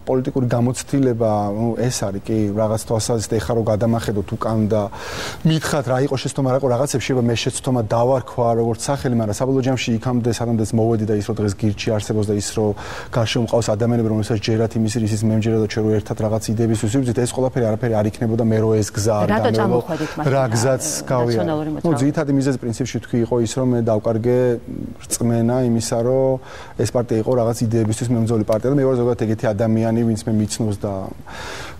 პოლიტიკური გამოცდილება, ну, ეს არის კი რაღაც თვალსაზრისით ეხა რომ გადამახედოთ უკან და მითხრათ რა იყო შეცდომა, რა იყო რაღაცებს შეიძლება მე შეცდომა დავარქვა როგორც სახელი, მაგრამ საბოლოო ჯამში იქამდე სანამდეც მოვედი და ის რომ დღეს გირჩი არსებობს და ის რომ გარშემო მყავს ადამიანები, რომელსაც ჯერათ იმის ისიც მე მჯერა და ჩვენ რო ერთად რაღაც იდეების ვისვიძით, ეს ყველაფერი არაფერი არ იქნებოდა მე რო ეს გზა არ გამევლო. რა გზაც გავია. ნუ ძირითადი მიზეზი პრინციპში თქვი იყო ის, რომ მე დავკარგე რწმენა იმისა, რომ ეს პარტია იყო რაღაც იდეებისთვის მემძოლი პარტია და მე ვარ ზოგადად ეგეთი ადამიანი, ვინც მე მიცნობს და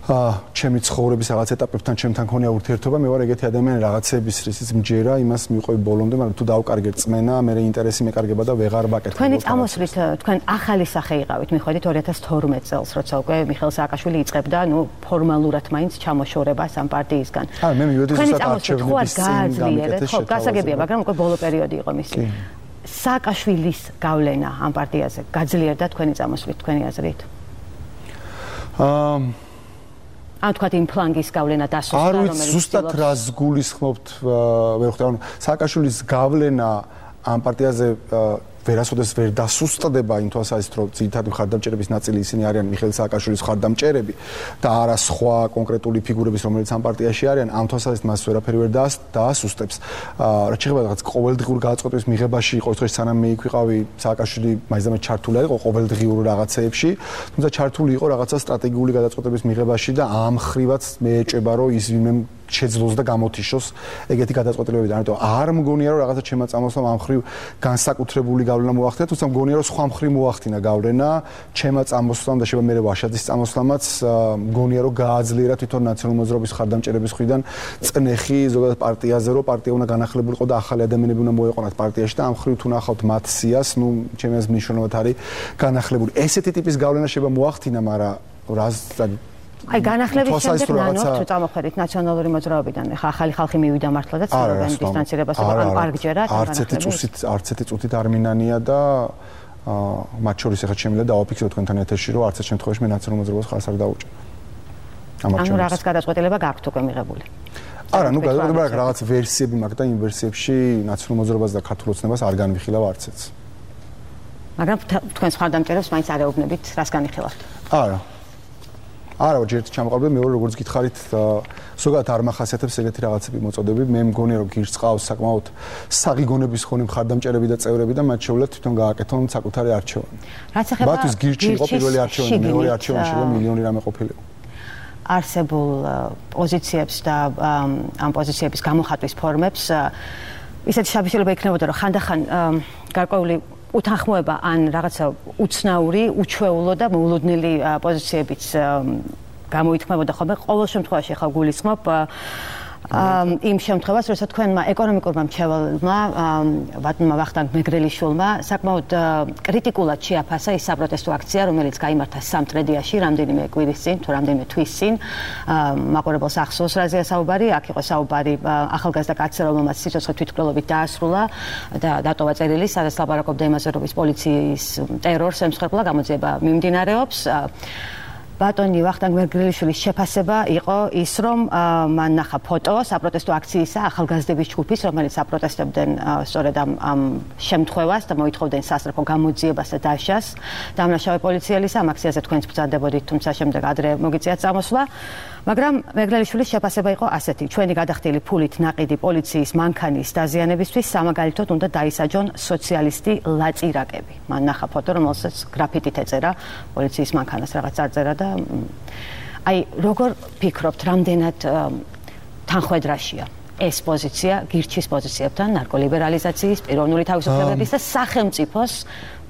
ჩემი ცხოვრების რაღაც ეტაპებთან ჩემთან ქონია ურთიერთობა, მე ვარ ეგეთი ადამიანი რაღაცების რისიც მჯერა, იმას მივყვები ბოლომდე, მაგრამ თუ დავკარგე რწმენა, მე ინტერესი მეკარგება და ვეღარ ვაკეთებ. თქვენი წამოსვლით, თქვენ ახალი სახე იყავით, მიხვედით 2012 წელს, როცა უკვე მიხეილ სააკაშვილი იწყებდა, ნუ ფორმალურად მაინც ჩამოშორებას ამ პარტიისგან. მე მივედი ზუსტად არჩევნების წინ, ხო, გასაგებია, მაგრამ უკვე ბოლო პერიოდი იყო მისი. სააკაშვილის გავლენა ამ პარტიაზე გაძლიერდა თქვენი წამოსვლით, თქვენი აზრით? ან თქვათ იმ ფლანგის გავლენა დასუსტა, რომელიც არის ზუსტად რას გულისხმობთ, ვერ ხვდები, ანუ სააკაშვილის გავლენა ამ პარტიაზე ვერასოდეს ვერ დასუსტდება იმ თვალსაზრისით, რომ ძირითადი მხარდამჭერების ნაწილი ისინი არიან მიხეილ სააკაშვილის მხარდამჭერები და არა სხვა კონკრეტული ფიგურების, რომელიც ამ პარტიაში არიან, ამ თვალსაზრისით მას ვერაფერი ვერ დაასუსტებს. რაც შეეხება რაღაც ყოველდღიურ გადაწყვეტების მიღებაში, იყო დღეს სანამ მე იქ ვიყავი, სააკაშვილი მაინც ჩართული იყო ყოველდღიურ რაღაცეებში, თუმცა ჩართული იყო რაღაცა სტრატეგიული გადაწყვეტების მიღებაში და ამ ხრივაც მე ეჭება, რომ ის ვინმე შეძლოს და გამოთიშოს ეგეთი გადაწყვეტილებები. ამიტომ არ მგონია, რომ რაღაცა ჩემმა წამოსვლამ ამ ხრივ განსაკუთრებული გავლენა მოახდინა, თუმცა მგონია, რომ სხვა მხრივ მოახდინა გავლენა ჩემმა წამოსვლამ და შეიძლება მე ვაშაძის წამოსვლამაც მგონია, რომ გააძლიერა თვითონ ნაციონალური მოძრაობის მხარდამჭერების მხრიდან წნეხი ზოგადად პარტიაზე, რომ პარტია უნდა განახლებულიყო და ახალი ადამიანები უნდა მოეყვანათ პარტიაში და ამ ხრივ თუ ნახავთ მათ სიას, ნუ ჩემი აზრით მნიშვნელოვნად არის განახლებული. ესეთი ტიპის გავლენა შეიძლება მოახდინა, მაგრამ რას აი განახლების შემდეგ ნანოხ თუ წამოხედით ნაციონალური მოძრაობიდან ხა ახალი ხალხი მივიდა მართლა და ცდილობენ დისტანცირებას არ გჯერათ არც ერთი წუთით არ მინანია და მათ შორის ახლა შემიძლია დავაფიქსიროთ თქვენთან ეთერში რომ არც ერთ შემთხვევაში მე ნაციონალურ მოძრაობას ხარს არ დაუჭერ. ანუ რაღაც გადაწყვეტილება გაქვთ უკვე მიღებული. არა, ნუ გადაწყვეტილება რაღაც ვერსიები მაქვს და იმ ვერსიებში ნაციონალურ მოძრაობას და ქართულ ოცნებას არ განვიხილავ არცეც. მაგრამ თქვენს მხარდამჭერებს მაინც არ ეუბნებით, რას განიხილავთ? არა. არა, ჯერ ჩამოყალიბე მეორე როგორც გითხარით, ზოგადად არ მახასიათებს ეგეთი რაღაცები მოწოდები. მე მგონია რომ გირს ყავს საკმაოდ საღიგონების ხონი მხარდამჭერები და წევრები და მათ შეუძლიათ თვითონ გააკეთონ საკუთარი არჩევანი. რაც ეხება მათთვის გირჩი იყო პირველი არჩევანი, მეორე არჩევანი შეიძლება მილიონი რამე ყოფილიყო. არსებულ პოზიციებს და ამ პოზიციების გამოხატვის ფორმებს ისეთი შაბიშილობა იქნებოდა რომ ხანდახან გარკვეული უთანხმოება ან რაღაცა უცნაური, უჩვეულო და მოულოდნელი პოზიციებიც გამოითქმებოდა ხოლმე. ყოველ შემთხვევაში ხა გულისხმობ იმ შემთხვევას, როცა თქვენმა ეკონომიკურმა მრჩეველმა ბატონმა ვახტანგ მეგრელიშვილმა საკმაოდ კრიტიკულად შეაფასა ის საპროტესტო აქცია, რომელიც გაიმართა სამტრედიაში რამდენიმე კვირის წინ, თუ რამდენიმე თვის წინ. მაყურებელს ახსოვს რაზეა საუბარი, აქ იყო საუბარი ახალგაზრდა კაცზე, რომელმაც სიცოცხლე თვითმკვლელობით დაასრულა და დატოვა წერილი, სადაც ლაპარაკობდა იმაზე, რომ პოლიციის ტერორს ემსხვერპლა, გამოძიება მიმდინარეობს. ბატონი ვახტანგ მეგრელიშვილის შეფასება იყო ის, რომ მან ნახა ფოტო საპროტესტო აქციისა ახალგაზრდების ჯგუფის, რომელიც აპროტესტებდნენ სწორედ ამ შემთხვევას და მოითხოვდნენ სასწრაფო გამოძიებას და დაშას. დამნაშავე პოლიციელის ამ აქციაზე თქვენც ბრძანდებოდით, თუმცა შემდეგ ადრე მოგიწიათ წამოსვლა. მაგრამ მეგრელიშვილის შეფასება იყო ასეთი: ჩვენი გადახდილი ფულით ნაყიდი პოლიციის მანქანის დაზიანებისთვის სამაგალითოდ უნდა დაისაჯონ სოციალისტი ლაწირაკები. მან ნახა ფოტო, რომელსაც გრაფიტით ეწერა პოლიციის მანქანას, რაღაც წარწერა და აი როგორ ფიქრობთ, რამდენად თანხვედრაშია ეს პოზიცია გირჩის პოზიციებთან, ნარკოლიბერალიზაციის, პიროვნული თავისუფლებების და სახელმწიფოს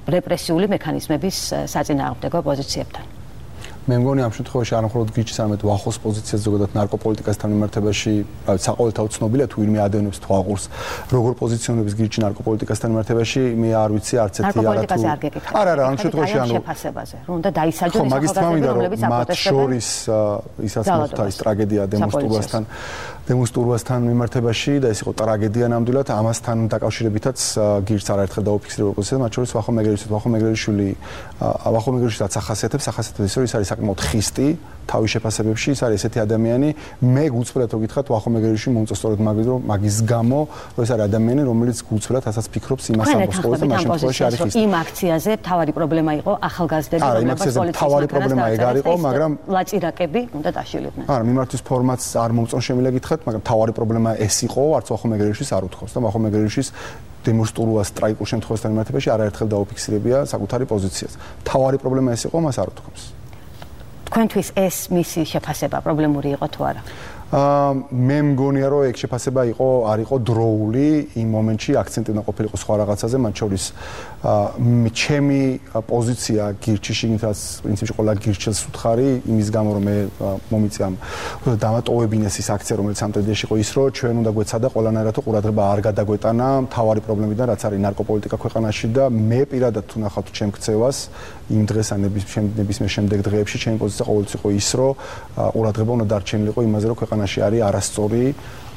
რეპრესიული მექანიზმების საწინააღმდეგო პოზიციებთან? მე მგონი ამ შემთხვევაში არ მხოლოდ გირჩის, არამედ ვახოს პოზიციას ზოგადად ნარკოპოლიტიკასთან მიმართებაში საყოველთაოდ ცნობილია, თუ ვინმე ადევნებს თუ აღურს როგორ პოზიციონებს გირჩი ნარკოპოლიტიკასთან მიმართებაში, მე არ ვიცი არც ერთი ნარკოპოლიტიკაზე არ გეკითხა. არა, ამ შემთხვევაში ანუ შეფასებაზე, რომ უნდა დაისაჯონ ეს ახალგაზრდები, რომლებიც აპროტესტებენ. მათ შორის ისაც მოხდა ის ტრაგედია დემონსტრაციასთან მიმართებაში და ეს იყო ტრაგედია ნამდვილად, ამასთან დაკავშირებითაც გირჩს არაერთხელ დაუფიქსირებულ პოზიციაზე, მათ შორის ვახო მეგრელიშვილი ახასიათებს ის რომ ის არის საკმაოდ ხისტი თავის შეფასებებში, ის არის ესეთი ადამიანი, მე გუწვლად რომ გითხრათ ვახო მეგრელიშვილი მომწონს სწორედ მაგის გამო, რომ ეს არის ადამიანი, რომელიც გუწვლად ასაც ფიქრობს იმას ამბობს, რომ ამ შემთხვევაში არის ხისტი. იმ აქციაზე თავარი პრობლემა იყო ახალგაზრდები, რომლებიც თავარი პრობლემა ეგ არ იყო, მაგრამ ლაწირაკები უნდა დაშილიყვნენ. არა, მიმართვის ფორმატს არ მომწონს შემიძლია გითხრათ, მაგრამ თავარი პრობლემა ეს იყო, არც ვახო მეგრელიშვილს არ უთხოვს და ვახო მეგრელიშვილის დემონსტრუას ტრაიკულ შემთხვევასთან მიმართებაში არაერთხელ დაუფიქსირებია საკუთარი პოზიციას. თავარი პრობლემა ეს იყო, მას არ უთხოვს. თქვენთვის ეს მისი შეფასება პრობლემური იყო თუ არა? მე მგონია რომ ეგ შეფასება არ იყო დროული, იმ მომენტში აქცენტი უნდა ყოფილიყო სხვა რაღაცაზე, მათ შორის ჩემი პოზიცია გირჩის შიგნითაც პრინციპში ყველა გირჩელს უთხარი, იმის გამო რომ მე მომიწია დამატოვებინეს ის აქცია, რომელიც სამტრედიაში იყო, ის რომ ჩვენ უნდა გვეცადა ყველანაირად ყურადღება არ გადაგვეტანა მთავარი პრობლემიდან, რაც არის ნარკოპოლიტიკა ქვეყანაში და მე პირადად თუ ნახავთ ჩემ ქცევას იმ დღეს ან ნებისმიერ შემდეგ დღეებში ჩემი პოზიცია ყოველთვის იყო ის, რომ ყურადღება უნდა დარჩენილიყო იმაზე, რომ ქვეყანაში არის არასწორი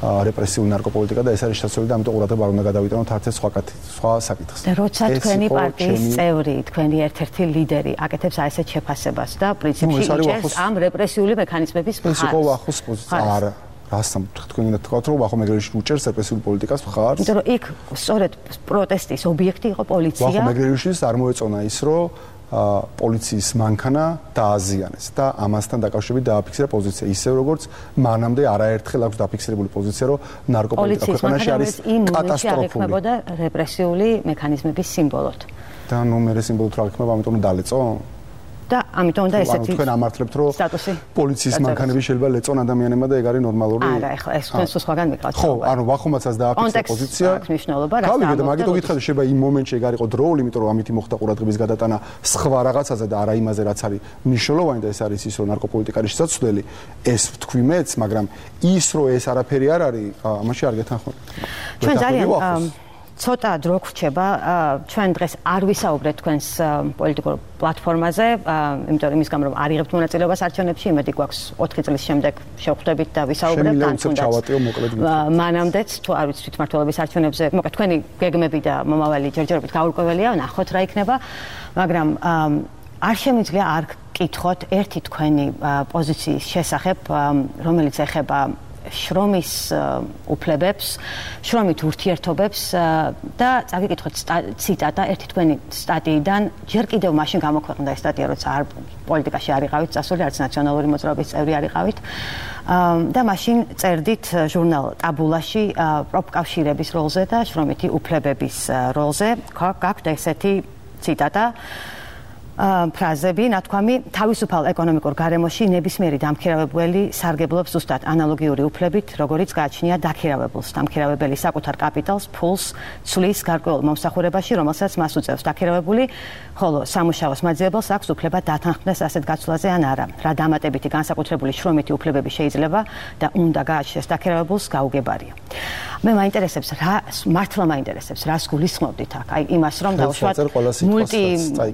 რეპრესიული ნარკოპოლიტიკა და ეს არის შესაძლებელი და ამიტომ ყურადღება არ უნდა გადავიტანოთ არც სხვა საკითხს. და როცა თქვენი პარტიის წევრი, თქვენი ერთ-ერთი ლიდერი აკეთებს ასეთ შეფასებას და პრინციპში იჭერს ამ რეპრესიული მექანიზმების მხარს. ეს იყო ვახოს პოზიცია. არა. რასთან თქვენ უნდა თქვათ რომ ვახო მეგრელში უჭერს რეპრესიული პოლიტიკას მხარს. იმიტომ რომ იქ სწორედ პროტესტის ობიექტი იყო პოლიცია. ვახო მეგრელიშვილს არ მოეწონა ის რომ პოლიციის მანქანა დააზიანეს და ამასთან დაკავშირებით დააფიქსირა პოზიცია ისევ როგორც მანამდე არაერთხელ აქვს დაფიქსირებული პოზიცია რომ ნარკოპოლიტიკა ქვეყანაში არის კატასტროფული. და რეპრესიული მექანიზმების სიმბოლოდ. და ნუ მე სიმბოლოდ რა იქნება, ამიტომ დალეწო? და ამიტომ და ესეთი თქვენ ამართლებთ რომ პოლიციის მანქანები შეიძლება ლეწონ ადამიანებმა და ეგ არის ნორმალური? არა, ეხლა ეს თქვენ სულ სხვაგან მიყავთ. ხო, ანუ ვახომაცაც დააფიქსირა პოზიცია. გავიგეთ, მაგითო გითხრათ შეიძლება იმ მომენტში ეგ არისო დროული, იმიტომ რომ ამითი მოხდა ყურადღების გადატანა სხვა რაღაცაზე და არა იმაზე, რაც არის მნიშვნელოვანი და ეს არის ის რომ ნარკოპოლიტიკა არის შესაძლებელი. ეს ვთქვი მეც, მაგრამ ის რომ ეს არაფერი არ არის, ამაში არ გეთანხმებით. ჩვენ ძალიან ცოტა დრო გრჩება, ჩვენ დღეს არ ვისაუბრეთ თქვენს პოლიტიკურ პლატფორმაზე, იმიტომ რომ იმის გამო რომ არ იღებთ მონაწილეობას არჩევნებში, იმედი გვაქვს 4 წლის შემდეგ შევხვდებით და ვისაუბრებთ თან თუნდაც. მანამდეც თუ არ ვიცით თვითმმართველობის არჩევნებზე, მოკლედ თქვენი გეგმები და მომავალი ჯერჯერობით გაურკვეველია, ნახოთ რა იქნება, მაგრამ არ შემიძლია არ გკითხოთ ერთი თქვენი პოზიციის შესახებ, რომელიც ეხება შრომის უფლებებს, შრომით ურთიერთობებს და წაგიკითხოთ ციტატა ერთი თქვენი სტატიიდან, ჯერ კიდევ მაშინ გამოქვეყნდა ეს სტატია, როცა არ პოლიტიკაში არ იყავით წასული, არც ნაციონალური მოძრაობის წევრი არ იყავით. და მაშინ წერდით ჟურნალ ტაბულაში პროფკავშირების როლზე და შრომითი უფლებების როლზე. გაქვთ ესეთი ციტატა. ფრაზები, ნათქვამი, თავისუფალ ეკონომიკურ გარემოში ნებისმიერი დამქირავებელი სარგებლობს ზუსტად ანალოგიური უფლებით, როგორიც გააჩნია დაქირავებულს. დამქირავებელი საკუთარ კაპიტალს, ფულს ცვლის გარკვეულ მომსახურებაში, რომელსაც მას უწევს დაქირავებული, ხოლო სამუშაოს მაძიებელს აქვს უფლება დათანხმდეს ასეთ გაცვლაზე ან არა. რა დამატებითი განსაკუთრებული შრომითი უფლებები შეიძლება და უნდა გააჩნდეს დაქირავებულს, გაუგებარია. მე მაინტერესებს რა მართლა მაინტერესებს რას გულისხმობდით აქ? აი იმას რომ დავუშვათ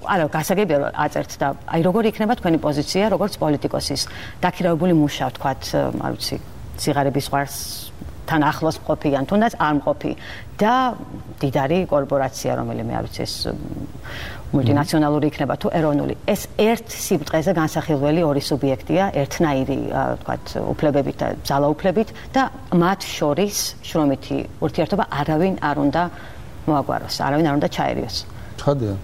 არა გასაგებია რომ აწერთ და აი როგორი იქნება თქვენი პოზიცია როგორც პოლიტიკოსის დაქირავებული მუშა ვთქვათ არ ვიცი ციგარების ზღვარს თან ახლოს მყოფი ან თუნდაც არ მყოფი და დიდარი კორპორაცია რომელიმე არ ვიცი ეს მულტინაციონალური იქნება თუ ეროვნული ეს ერთ სიბწყეზე განსახილველი ორი სუბიექტია ერთნაირი ვთქვათ უფლებებით და ძალაუფლებით და მათ შორის შრომითი ურთიერთობა არავინ არ უნდა მოაგვაროს არავინ არ უნდა ჩაერიოს ხადია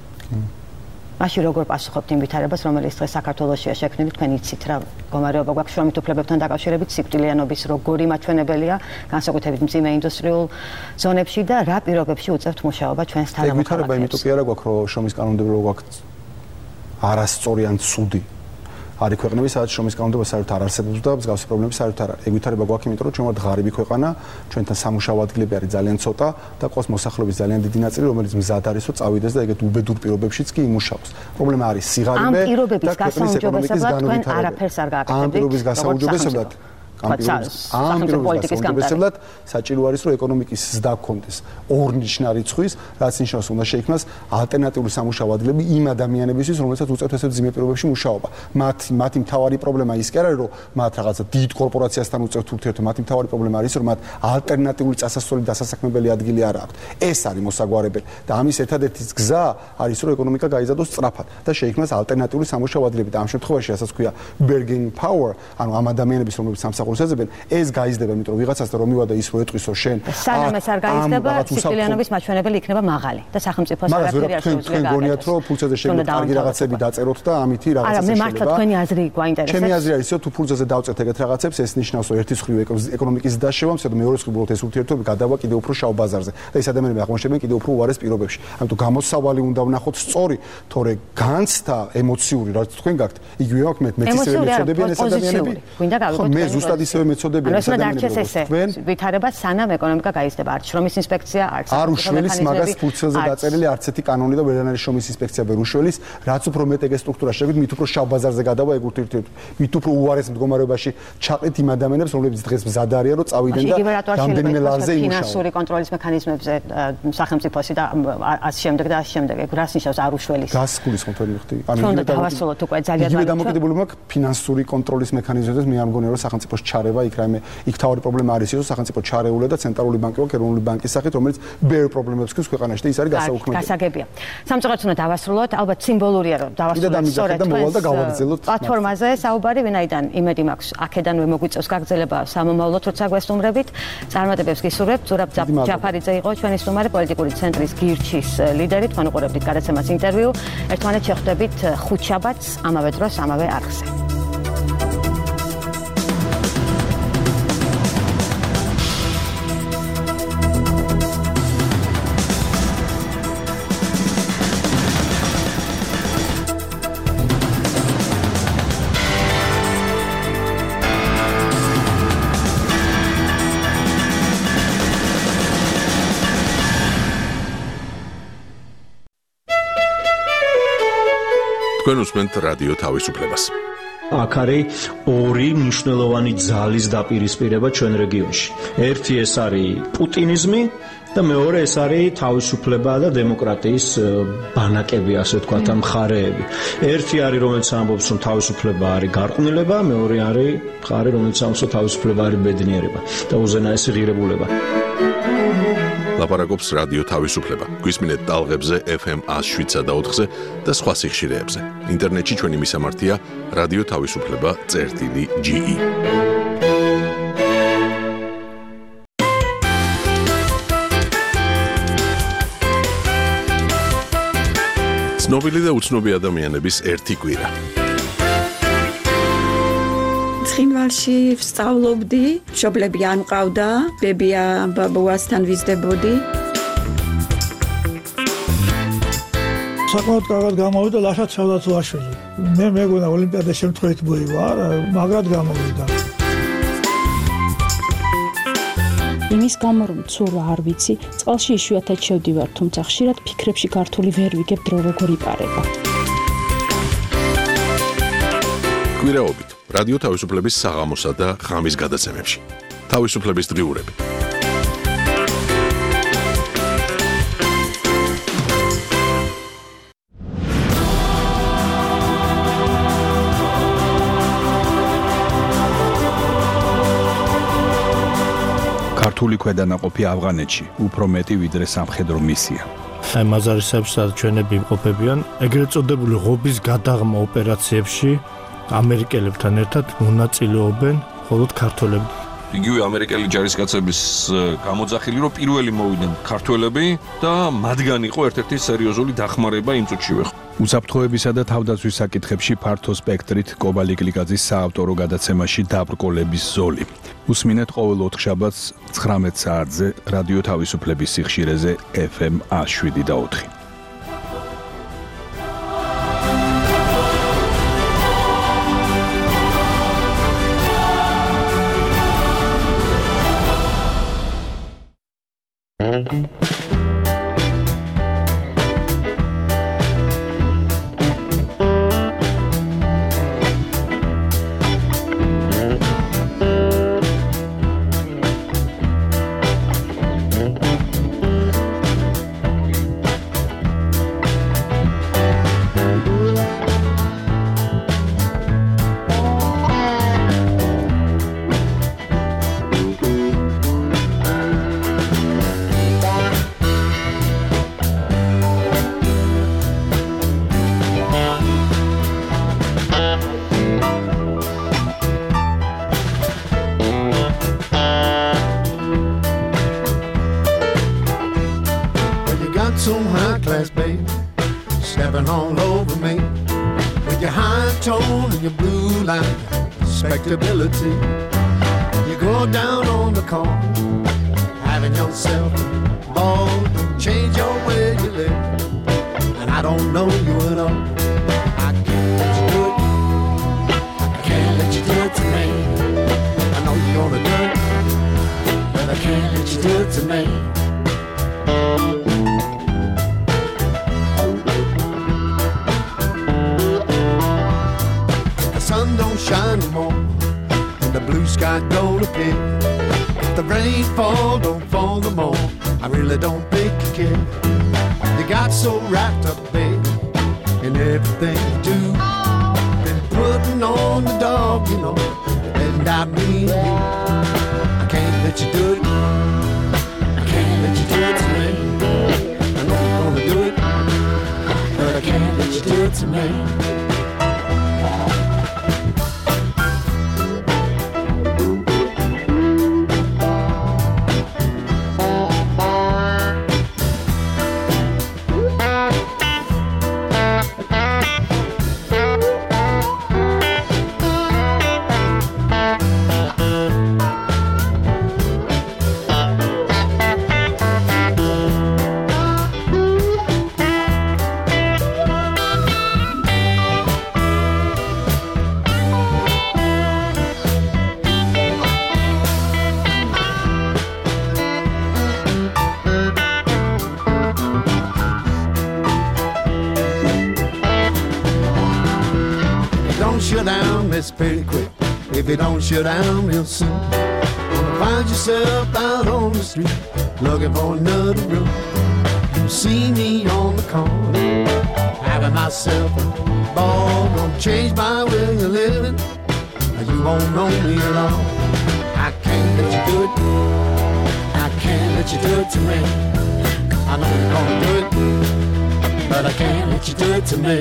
მაშინ როგორ პასუხობთ იმ ვითარებას რომელიც დღეს საქართველოშია შექმნილი თქვენ იცით რა მდგომარეობა გვაქვს შრომით უფლებებთან დაკავშირებით სიკვდილიანობის როგორი მაჩვენებელია განსაკუთრებით მძიმე ინდუსტრიულ ზონებში და რა პირობებში უწევთ მუშაობა ჩვენს თანამოქმედებს ვითარება იმიტომ კი არა გვაქვს რომ შრომის კანონმდებლობა გვაქვს არასწორი ან ცუდი არის ქვეყნები სადაც შრომის კანონმდებლობა საერთოდ არ არსებობს და მსგავსი პრობლემები საერთოდ არ არის ეგ ვითარება გვაქვს იმიტომ რომ ჩვენ ვართ ღარიბი ქვეყანა ჩვენთან სამუშაო ადგილები არის ძალიან ცოტა და ყავს მოსახლეობის ძალიან დიდი ნაწილი რომელიც მზად არის რომ წავიდეს და ეგეთ უბედურ პირობებშიც კი იმუშაოს პრობლემა არის სიღარიბე და ქვეყნის ეკონომიკის განვითარება არაფერს არ გააკეთებთ ამ პირობის გასაუმჯობესებლად ამ პოლიტიკის გამტარებლად საჭირო არის რომ ეკონომიკის ზრდა გქონდეს ორნიშნა რიცხვის რაც ნიშნავს უნდა შეიქმნას ალტერნატიული სამუშაო ადგილები იმ ადამიანებისთვის რომელსაც უწევთ ესეთ ძიმე პირობებში მუშაობა მათი მთავარი პრობლემა ის კი არის რომ მათ რაღაცა დიდ კორპორაციასთან უწევთ ურთიერთობა მათი მთავარი პრობლემა არის რომ მათ ალტერნატიული წასასვლელი დასასაქმებელი ადგილი არ აქვს ეს არის მოსაგვარებელი და ამის ერთადერთი გზა არის რომ ეკონომიკა გაიზარდოს სწრაფად და შეიქმნას ალტერნატიული სამუშაო ადგილები და ამ შემთხვევაში რასაც ქვია bargaining power ანუ ამ ადამიანების რომლებიც სამსახურს ეძებენ ეს გაიზრდება იმიტომ რომ ვიღაცასთან რომ მივადა ის რო ეტყვისო შენ სანამ ეს არ გაიზრდება სიკვდილიანობის მაჩვენებელი იქნება მაღალი და სახელმწიფოს არაფერი არ შეუძლია თქვენ გონიათ რომ ფულცაზე შეგვიძლია კარგი რაღაცები დაწეროთ და ამითი რაღაცა შეიძლება არა მე მართლა თქვენი აზრი გვაინტერესებს ჩემი აზრი არის რომ თუ ფულცაზე დავწერთ ეგეთ რაღაცებს ეს ნიშნავს რომ ერთის მხრივ ეკონომიკის დაშევამს და მეორე მხრივ უბრალოდ ეს ურთიერთობები გადავა კიდევ უფრო შავ ბაზარზე და ეს ადამიანები აღმოჩნდნენ კიდევ უფრო უარეს პირობებში ამიტომ გამოსავალი უნდა ვნახოთ სწორი თორე განცდა ემოციური რაც თქვენ გაქვთ იგივე აქვს მეც ისე მეწოდებიან ეს ადამიანები გვინდა გავიგოთ მე ზუსტად ისევე მეწოდებიან ეს ადამიანები ვითარება სანამ ეკონომიკა გაიზრდება არც შრომის ინსპექცია არც არ უშველის მაგას ფულცელზე დაწერილი არც ერთი კანონი და ვერან არის შრომის ინსპექცია ვერ უშველის რაც უფრო მეტ ეგ სტრუქტურა შეგვით მით უფრო შავ ბაზარზე გადავა ეგ ურთიერთობები მით უფრო უარეს მდგომარეობაში ჩაყრით იმ ადამიანებს რომლებიც დღეს მზად არიან რომ წავიდნენ და რამდენიმე ლარზე იმუშაონ ფინანსური კონტროლის მექანიზმებზე სახელმწიფოსი და ასე შემდეგ და ასე შემდეგ ეგ რას ნიშნავს არ უშველის გასკულის კონტროლი ხდი ანუ დავასრულოთ უკვე ძალიან ძალიან დამოკიდებული მაქვს ფინანსური კონტროლის მექანიზმებზე მე არ მგონია რომ სახელმწიფოში ჩარევა იქ რაიმე იქ თავი პრობლემა არის ის რომ სახელმწიფო ჩარეულა და ცენტრალური ბანკი აქვს ეროვნული ბანკის სახით რომელიც ბევრ პრობლემებს გვაქვს ქვეყანაში და ის არის გასაუქმებელი. გასაგებია. სამწუხაროდ უნდა დავასრულოთ, ალბათ სიმბოლურია რომ დავასრულოთ სწორედ პლატფორმაზე საუბარი, ვინაიდან იმედი მაქვს აქედანვე მოგვიწევს გაგრძელება სამომავლოდ, როცა გვესტუმრებით. წარმატებებს გისურვებთ. ზურაბ ჯაფარიძე იყო ჩვენი სტუმარი, პოლიტიკური ცენტრის გირჩის ლიდერი. თქვენ უყურებთ გადაცემას ინტერვიუ. ერთმანეთს შეხვდებით ხუთშაბათს ამავე დროს ამავე არხზე. თქვენ უსმენთ რადიო თავისუფლებას. აქ არის ორი მნიშვნელოვანი ძალის დაპირისპირება ჩვენ რეგიონში. ერთი ეს არის პუტინიზმი და მეორე ეს არის თავისუფლება და დემოკრატიის ბანაკები, ასე ვთქვათ, მხარეები. ერთი არის რომელიც ამბობს რომ თავისუფლება არის გარყვნილება, მეორე არის მხარე რომელიც ამბობს რომ თავისუფლება არის ბედნიერება და უზენაესი ღირებულება. ლაპარაკობს რადიო თავისუფლება. გვისმინეთ ტალღებზე FM 107.4-ზე და სხვა სიხშირეებზე. ინტერნეტში ჩვენი მისამართია რადიო თავისუფლება.ge. ცნობილი და უცნობი ადამიანების ერთი კვირა. ცხინვალში ვსწავლობდი, მშობლები არ მყავდა, ბებია ბაბუასთან ვიზრდებოდი. საკმაოდ კარგად გამოვიდა ლაშა ცელდაცვაშვილი. მე მეგონა ოლიმპიადა შემთხვევით მოივა, მაგრად გამოვიდა. იმის გამო რომ ცურვა არ ვიცი, წყალში იშვიათად შევდივარ, თუმცა ხშირად ფიქრებში ქართული ვერ ვიგებ დრო როგორ იპარება. კვირაობით რადიო თავისუფლების საღამოსა და ღამის გადაცემებში. თავისუფლების დღიურები. ქართული ქვედანაყოფი ავღანეთში უფრო მეტი ვიდრე სამხედრო მისია. აი მაზარისებს ჩვენები იმყოფებიან ეგრეთ წოდებული ღობის გადაღმა ოპერაციებში ამერიკელებთან ერთად მონაწილეობენ მხოლოდ ქართველები. იგივე ამერიკელი ჯარისკაცების გამოძახილი რომ პირველი მოვიდნენ ქართველები და მათგან იყო ერთ-ერთი სერიოზული დახმარება იმ წუთშივე. უსაფრთხოებისა და თავდაცვის საკითხებში ფართო სპექტრით კობალი გლიკაძის საავტორო გადაცემაში დაბრკოლების ზოლი. უსმინეთ ყოველ ოთხშაბათს 19 საათზე რადიო თავისუფლების სიხშირეზე FM 107.4. some high class babe stepping all over me with your high tone and your blue line respectability. You go down on the corner having yourself a ball, change your way you live, and I don't know you at all. I can't let you do it, I can't let you do it to me. I know you're gonna do it, but I can't let you do it to me. The sun don't shine no more, and the blue sky don't appear. If the rain don't fall no more, I really don't think you care. You got so wrapped up, baby, in everything you do. Been putting on the dog, you know, letting without me. I can't let you do it. I can't let you do it to me. I know you're gonna do it, but I can't let you do it to me. Shut down, it's pretty quick. If you don't shut down real soon, gonna find yourself out on the street looking for another room. You see me on the corner, having myself a ball. Gonna change my way of living. You won't know me at all. I can't let you do it. I can't let you do it to me. I know you're gonna do it, but I can't let you do it to me.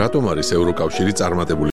რატომ არის ევროკავშირი წარმატებული